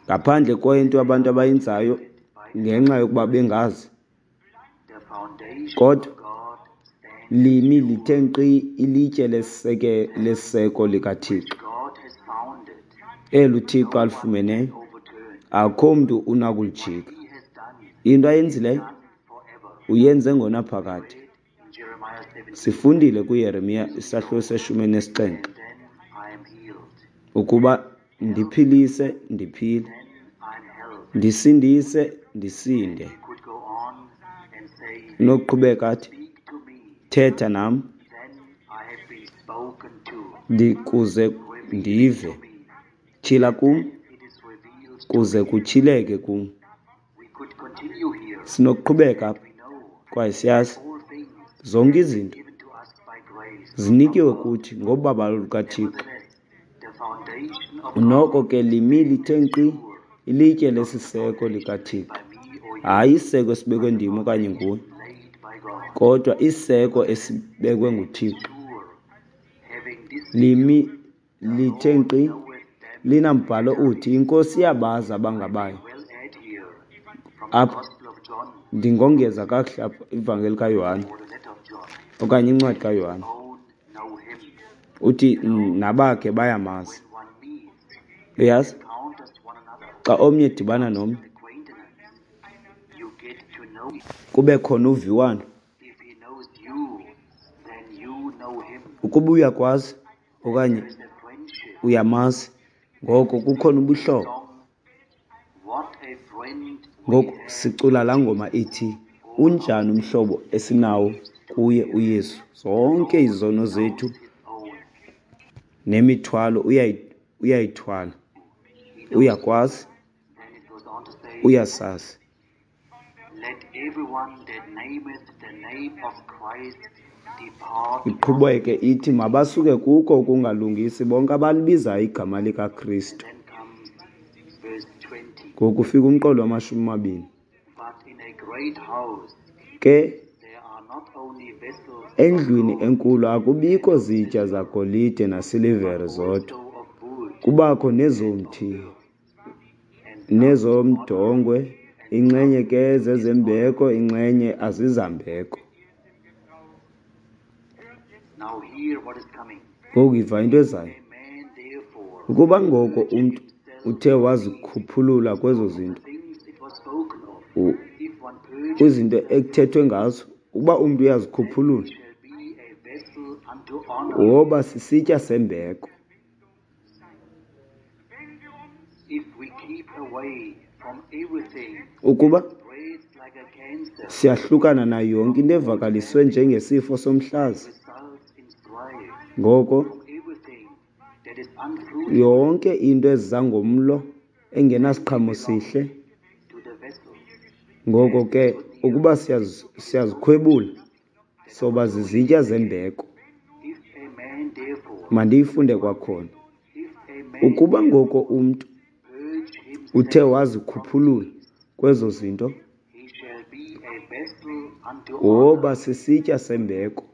Speaker 1: ngaphandle kwento abantu abayenzayo ngenxa yokuba bengazi. Kodwa limi lithe nkqi ilitye lesiseko likaThixo, elo uThixo alifumeneyo, akho mntu unakulijika. Into ayenzileyo uyenze ngonaphakade. Sifundile kuYeremiya isahluko seshumi nesixhenxe ukuba ndiphilise ndiphile, ndisindise ndisinde. Unokuqhubeka athi, Thetha nam, ndikuze ndive. Tyhila kum, kuze kutyhileke kum. Sinokuqhubeka apha, kwaye siyazi zonke izinto zinikiwe kuthi ngobabalo lukaThixo. Noko ke limi lithe nkqi ilitye lesiseko likaThixo, hayi isiseko esibekwe ndim okanye nguwe, kodwa isiseko esibekwe nguThixo. Limi lithe nkqi linambhalo uthi, iNkosi iyabazi abangabayo. Apha ndingongeza kakuhle apha ivangeli kaYohane okanye incwadi kaYohane, uthi nabakhe bayamazi. Uyazi, xa omnye edibana nomnye kube khona uviwano. Ukuba uyakwazi okanye uyamazi, ngoko kukhona ubuhlobo. Ngoku sicula laa ngoma ithi, unjani umhlobo esinawo kuye uYesu, zonke izono zethu nemithwalo uyayithwala. Uyakwazi, uyasazi. Iqhubeke ithi, mabasuke kuko ukungalungisi bonke abalibizayo igama likaKristu. Ngoku ufika umqolo wamashumi amabini. Ke endlwini enkulu akubikho zitya zagolide nasilivere zodwa, kubakho nezomthi nezomdongwe, inxenye ke zezembeko, inxenye azizambeko. Ngoku yiva into ezayo. Ukuba ngoko umntu uthe wazikhuphulula kwezo zinto, kwizinto ekuthethwe ngazo, ukuba umntu uyazikhuphulula, woba sisitya sembeko. Ukuba siyahlukana nayo yonke into evakaliswe njengesifo somhlaza, ngoko yonke into eza ngomlo engenasiqhamo sihle, ngoko ke ukuba siyazikhwebula, soba zizitya zembeko. Mandiyifunde kwakhona. Ukuba ngoko umntu uthe wazikhuphulula kwezo zinto, woba sisitya sembeko.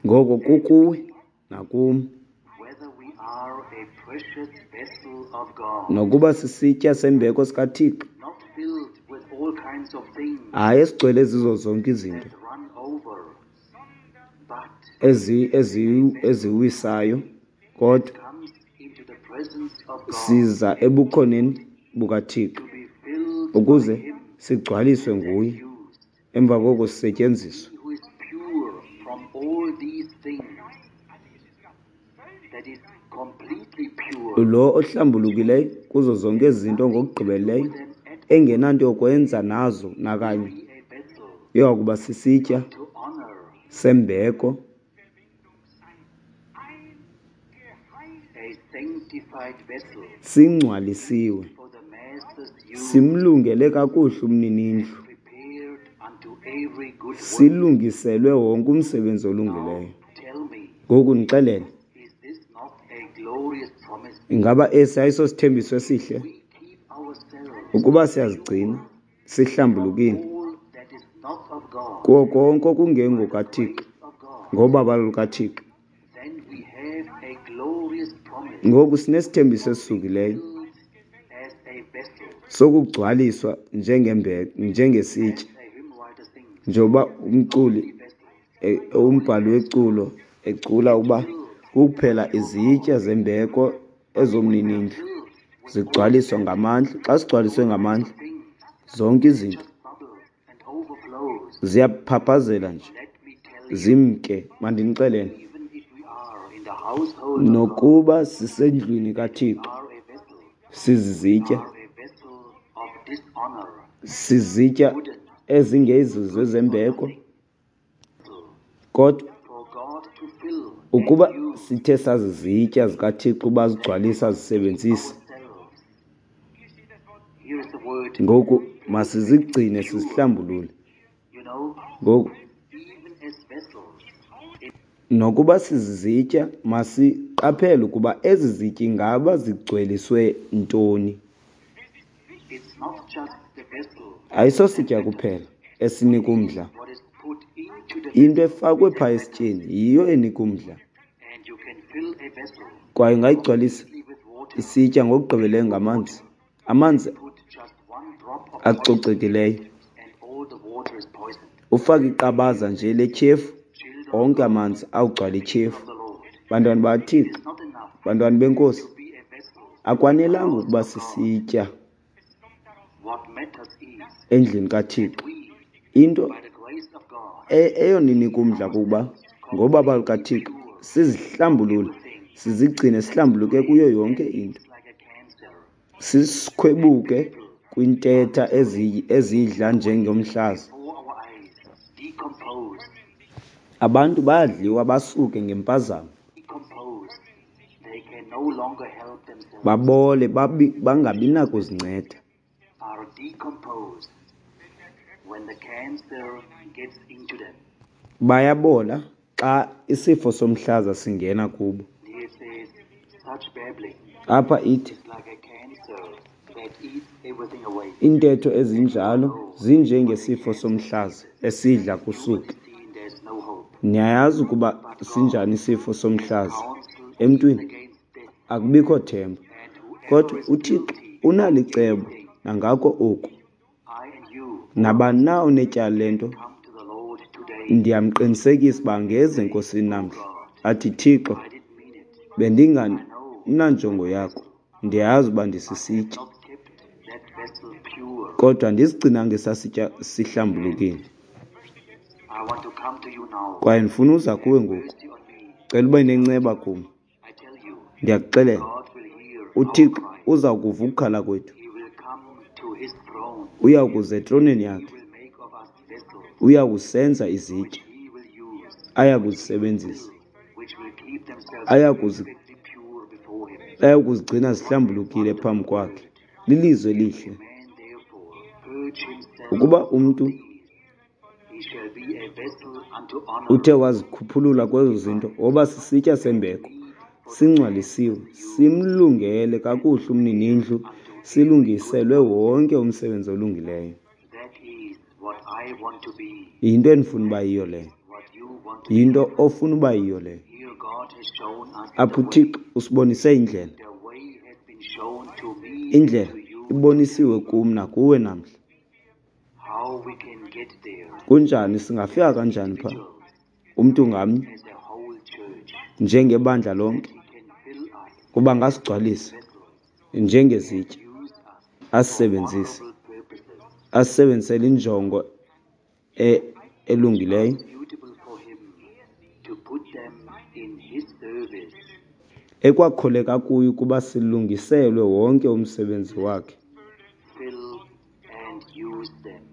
Speaker 1: Ngoko kukuwe nakum nokuba sisitya sembeko sikaThixo, hayi esigcwele zizo zonke izinto eziwisayo, kodwa siza ebukhoneni bukaThixo ukuze sigcwaliswe nguye, emva koko sisetyenziswe. Lo ohlambulukileyo kuzo zonke ezi zinto ngokugqibeleleyo, engenanto yokwenza nazo nakanye, uya kuba sisitya sembeko, singcwalisiwe, simlungele kakuhle umninindlu, silungiselwe wonke umsebenzi olungileyo. Ngoku ndixelele, ingaba esi ayisosithembiso esihle? Ukuba siyazigcina sihlambulukile kuwo konke okungengokaThixo, ngobabalo lukaThixo, ngoku sinesithembiso esisukileyo sokugcwaliswa njengesitya, njengoba umculi, umbhali weculo ecula uba kuphela izitya zembeko ezomninindlu zigcwaliswa ngamandla. Xa sigcwaliswe ngamandla, zonke izinto ziyaphaphazela nje, zimke. Mandinixelele, nokuba sisendlwini kaThixo, sizizitya, Sizitya ezingezizo ezembeko, kodwa ukuba sithe sazizitya zikaThixo uba azigcwalise azisebenzise, ngoku masizigcine sizihlambulule. Ngoku nokuba sizizitya, masiqaphele ukuba ezi zitya ingaba zigcweliswe ntoni. Ayisositya kuphela esinika umdla. Into efakwe phaa esityeni yiyo enika umdla. Kwaye ungayigcwalisa isitya ngokugqibeleleyo ngamanzi, amanzi acocekileyo. Ufake iqabaza nje letyhefu, onke amanzi awugcwala ityhefu. Bantwana bakaThixo, bantwana beNkosi, akwanelanga ukuba sisitya endlini kaThixo. Into eyona inika umdla kukuba ngobabalo lukaThixo sizihlambulule, sizigcine sihlambuluke kuyo yonke into. Sisikhwebuke kwintetha ezidla njengomhlaza. Abantu bayadliwa basuke ngempazamo. Babole bangabi nakuzinceda. Bayabola xa isifo somhlaza singena kubo. Apha ithi iintetho ezinjalo zinjengesifo somhlaza esidla kusuke. Niyayazi ukuba sinjani isifo somhlaza emntwini, akubikho themba. Kodwa uThixo unalo icebo nangako oku. Nabani na onetyala lento, ndiyamqinisekisa uba angeza eNkosini namhla athi, Thixo, bendingananjongo yakho, ndiyazi uba ndisisitya, kodwa andisigcinanga esasitya sihlambulukile. Kwaye ndifuna uza kuwe ngoku, cela ube nenceba kum. Ndiyakuxelela, uThixo uza kuva ukukhala kwethu. Uya kuza etroneni yakhe, uya kusenza izitya aya kuzisebenzisa, aya kuzigcina zihlambulukile phambi kwakhe. Lilizwi elihle. Ukuba umntu uthe wazikhuphulula kwezo zinto, woba sisitya sembeko, singcwalisiwe, simlungele kakuhle umninindlu, silungiselwe wonke umsebenzi olungileyo. Yinto endifuna uba yiyo leyo. Yinto ofuna uba yiyo leyo. Apha uThixo usibonise indlela. Indlela ibonisiwe kum nakuwe namhla. Kunjani, singafika kanjani phaa? Umntu ngamnye, njengebandla lonke, kuba ngasigcwalisa njengezitya, asisebenzise, asisebenzisele injongo elungileyo. Ekwakholeka kuyo ukuba silungiselwe wonke umsebenzi wakhe,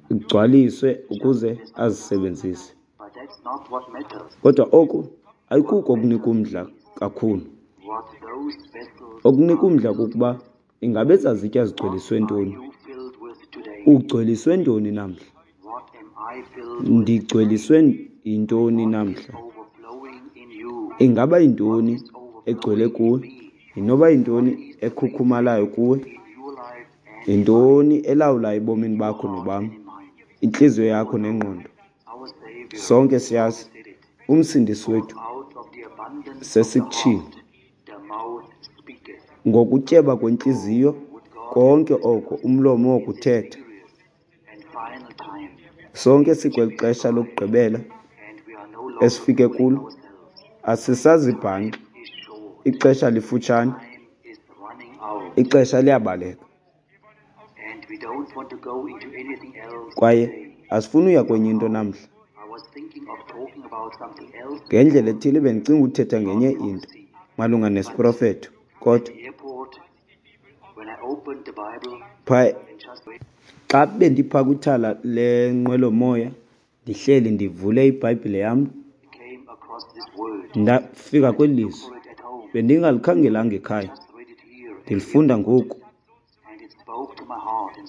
Speaker 1: igcwaliswe ukuze azisebenzise. Kodwa oku ayikuko okunika umdla kakhulu. Okunika umdla kukuba ingabe ezazitya zigcweliswe ntoni? Ugcweliswe ntoni namhla? Ndigcweliswe yintoni namhla? Ingaba yintoni egcwele kuwe? Inoba yintoni ekhukhumalayo kuwe? Yintoni elawulayo ebomini bakho nobam? Intliziyo yakho nengqondo. Sonke siyazi uMsindisi wethu sesikutshilo. Ngokutyeba kwentliziyo konke oko umlomo wokuthetha. Sonke sikweli xesha lokugqibela esifike kulo, asisazibhanxi. Ixesha lifutshane, ixesha liyabaleka. Kwaye asifuni uya kwenye into namhla. Ngendlela ethile bendicinga uthetha ngenye into malunga nesiprofeto, kodwa phaa Xa bendipha kwithala lenqwelomoya ndihleli ndivule iBhayibhile yam, ndafika kweli lizwi. Bendingalikhangelanga ekhaya, ndilifunda ngoku,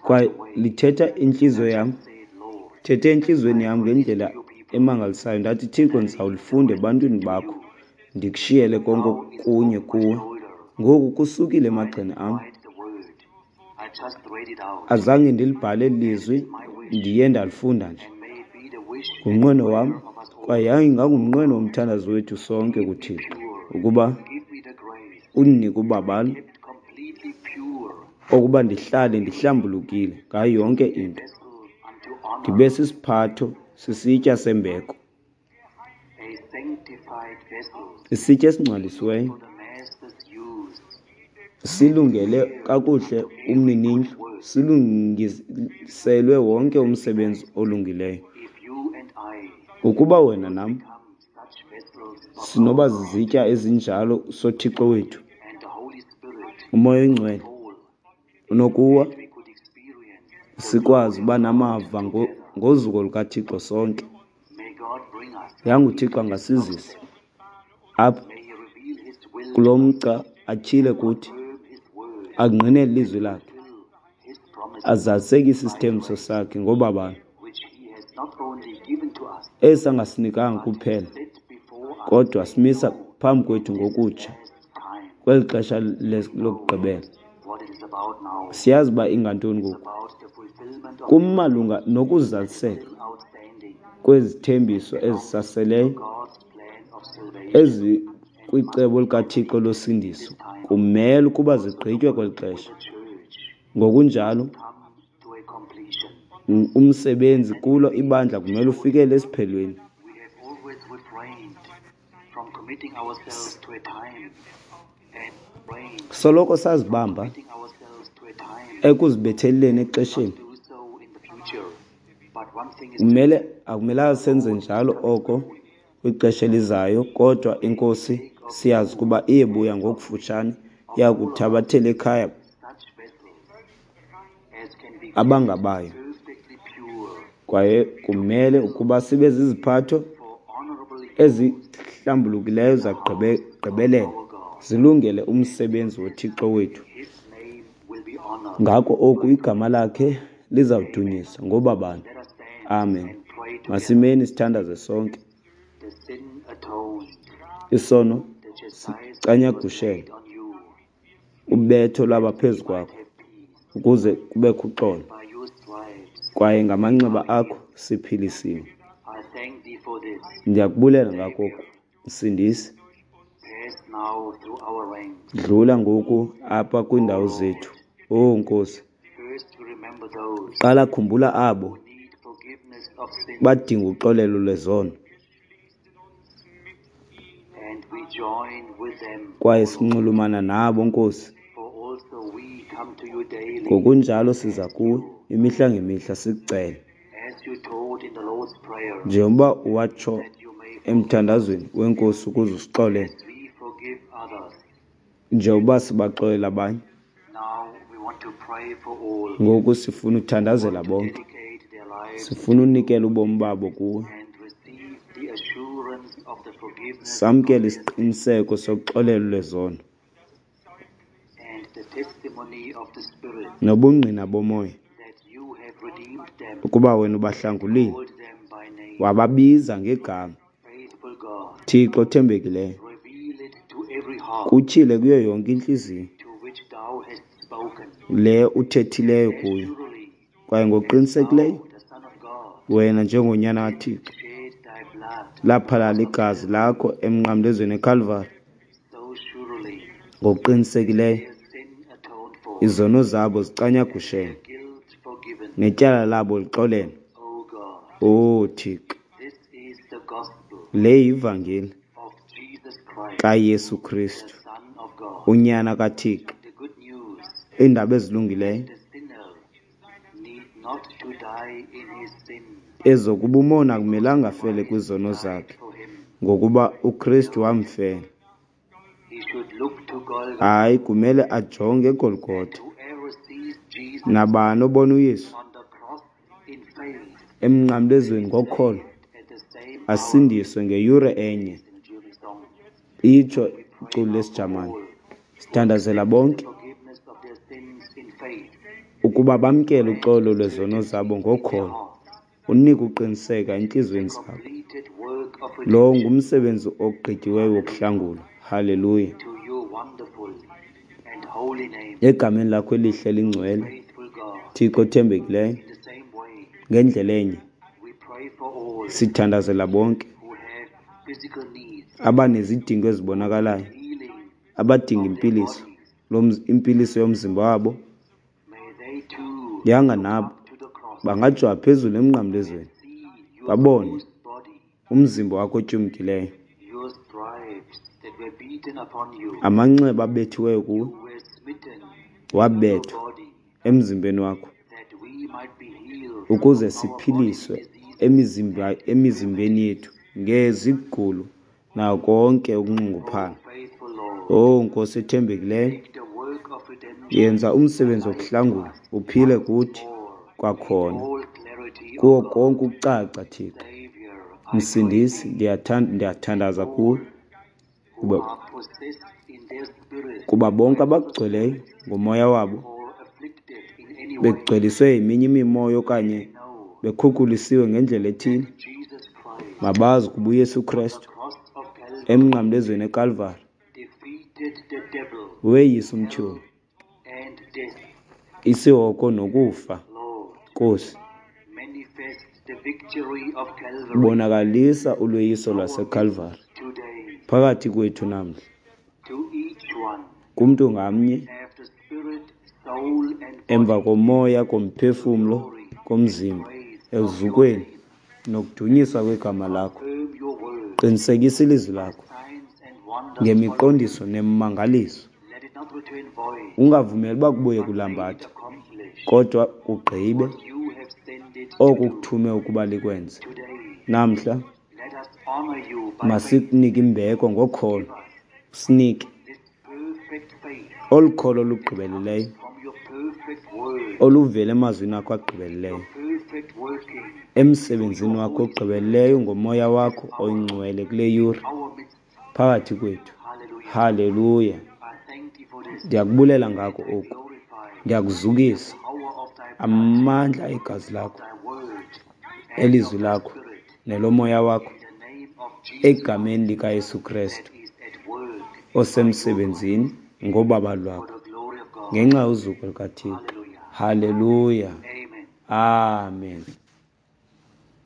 Speaker 1: kwaye lithetha intliziyo yam, thethe entliziyweni yam ngendlela emangalisayo. Ndathi, Thixo, ndizawulifunda ebantwini bakho, ndikushiyele konke okunye kuwe. Ngoku kusukile emagxeni am. Azange ndilibhale eli lizwi, ndiye ndalifunda nje. Ngumnqweno wam, kwaye yayingangumnqweno womthandazo wethu sonke kuThixo, ukuba undinike ubabalo okuba ndihlale ndihlambulukile ngayo yonke into, ndibe sisiphatho, sisitya sembeko, isitya esingcwalisiweyo, silungele kakuhle umninindlu, silungiselwe wonke umsebenzi olungileyo. Ukuba wena nam sinoba zizitya ezinjalo soThixo wethu, uMoya oyiNgcwele unokuwa, sikwazi uba namava ngozuko lukaThixo sonke. Yanga uThixo angasizisa apha kulo mgca, atyhile kuthi, angqinele ilizwi lakhe, azalisekise isithembiso sakhe ngobabalo esi angasinikanga kuphela, kodwa simisa phambi kwethu ngokutsha kweli xesha lokugqibela. Siyazi uba ingantoni ngoku. Kumalunga nokuzaliseka kwezithembiso ezisaseleyo ezikwicebo likaThixo losindiso, kumele ukuba zigqitywe kweli xesha. Ngokunjalo umsebenzi kulo ibandla kumele ufikele esiphelweni. Soloko sazibamba ekuzibetheleleni exesheni. Kumele akumelanga senze njalo oko kwixesha elizayo, kodwa iNkosi siyazi ukuba iyebuya ngokufutshane, iyakuthabathela ekhaya abangabayo. Kwaye kumele ukuba sibe ziziphatho ezihlambulukileyo zagqibelela, zilungele umsebenzi woThixo wethu. Ngako oku igama lakhe lizawudunyiswa ngobabalo. Amen. Masimeni sithandaze sonke. Isono sicanyagushelwe, ubetho lwaba phezu kwakho, ukuze kubekho uxolo, kwaye ngamanxeba akho siphilisiwe. Ndiyakubulela ngako oku, Msindisi. Dlula ngoku apha kwiindawo zethu. Owu Nkosi, qala khumbula abo badinga uxolelo lwezono, kwaye sinxulumana nabo, Nkosi. Ngokunjalo siza kuwe imihla ngemihla sikucele, njengoba watsho emthandazweni weNkosi ukuze usixolele, njengoba sibaxolela abanye. Ngoku sifuna uthandazela bonke, sifuna unikela ubomi babo kuwe, samkele isiqiniseko sokuxolelwa lwezono nobungqina bomoya ukuba wena ubahlangulile, wababiza ngegama. Thixo othembekileyo, kutyhile kuyo yonke intliziyo le uthethileyo kuyo, kwaye ngokuqinisekileyo wena njengonyana kaThixo laphalala igazi lakho emnqamlezweni eKalvari. Ngokuqinisekileyo izono zabo zicanyagushelwe netyala labo lixolelwe. O Thixo, le yivangeli kaYesu Kristu, uNyana kaThixo, iindaba ezilungileyo ezokuba umoni akumelanga afele kwizono zakhe, ngokuba uKristu wamfela. Hayi, kumele ajonge eGolgotha. Nabani obona uYesu Emnqamlezweni ngokholo, asindiswe ngeyure enye, itsho iculo lesiJamani. Sithandazela bonke ukuba bamkele uxolo lwezono zabo ngokholo, unike uqiniseka entliziyweni zabo. Lo ngumsebenzi ogqityiweyo wokuhlangula. Haleluya. Egameni lakho elihle elingcwele, Thixo othembekileyo, ngendlela enye sithandazela bonke abanezidingo ezibonakalayo, abadinga impiliso, impiliso yomzimba wabo. Yanga nabo bangajonga phezulu emnqamlezweni babone umzimba wakho otyumkileyo, amanxeba abethiweyo kuwe, wabethwa emzimbeni wakho ukuze siphiliswe emizimbeni yethu ngezigulo nako konke ukunxunguphala. Oh Nkosi ethembekileyo, yenza umsebenzi wokuhlangula uphile kuthi kwakhona kuwo konke ukucaca, Thixo. Msindisi, ndiyathandaza kuwe kuba, kuba bonke abakugcweleyo ngomoya wabo begcweliswe yeminye imimoya okanye bekhukulisiwe ngendlela ethile, mabazi ukuba uYesu Kristu emnqamlezweni eKalvari weyisa umtyholi, isihogo nokufa. Nkosi, bonakalisa ulweyiso lwaseKalvari phakathi kwethu namhla, kumntu ngamnye, emva komoya, komphefumlo, komzimba, eluzukweni nokudunyiswa kwegama lakho. Qinisekisa ilizwi lakho ngemiqondiso nemimangaliso. Ungavumeli uba kubuye kulambatha, kodwa kugqibe oko ukuthume ukuba likwenze. Namhla masikunike imbeko ngokholo, usinike olu kholo lugqibeleleyo oluvela emazwini akho agqibeleleyo, emsebenzini wakho ogqibeleleyo ngomoya wakho oyingcwele kule yure phakathi kwethu. Haleluya. Ndiyakubulela ngako oku, ndiyakuzukisa amandla egazi lakho, elizwi lakho nelomoya wakho, egameni likaYesu Kristu osemsebenzini ngobaba lwakho ngenxa yozuko lukaThixo. Haleluya. Amen.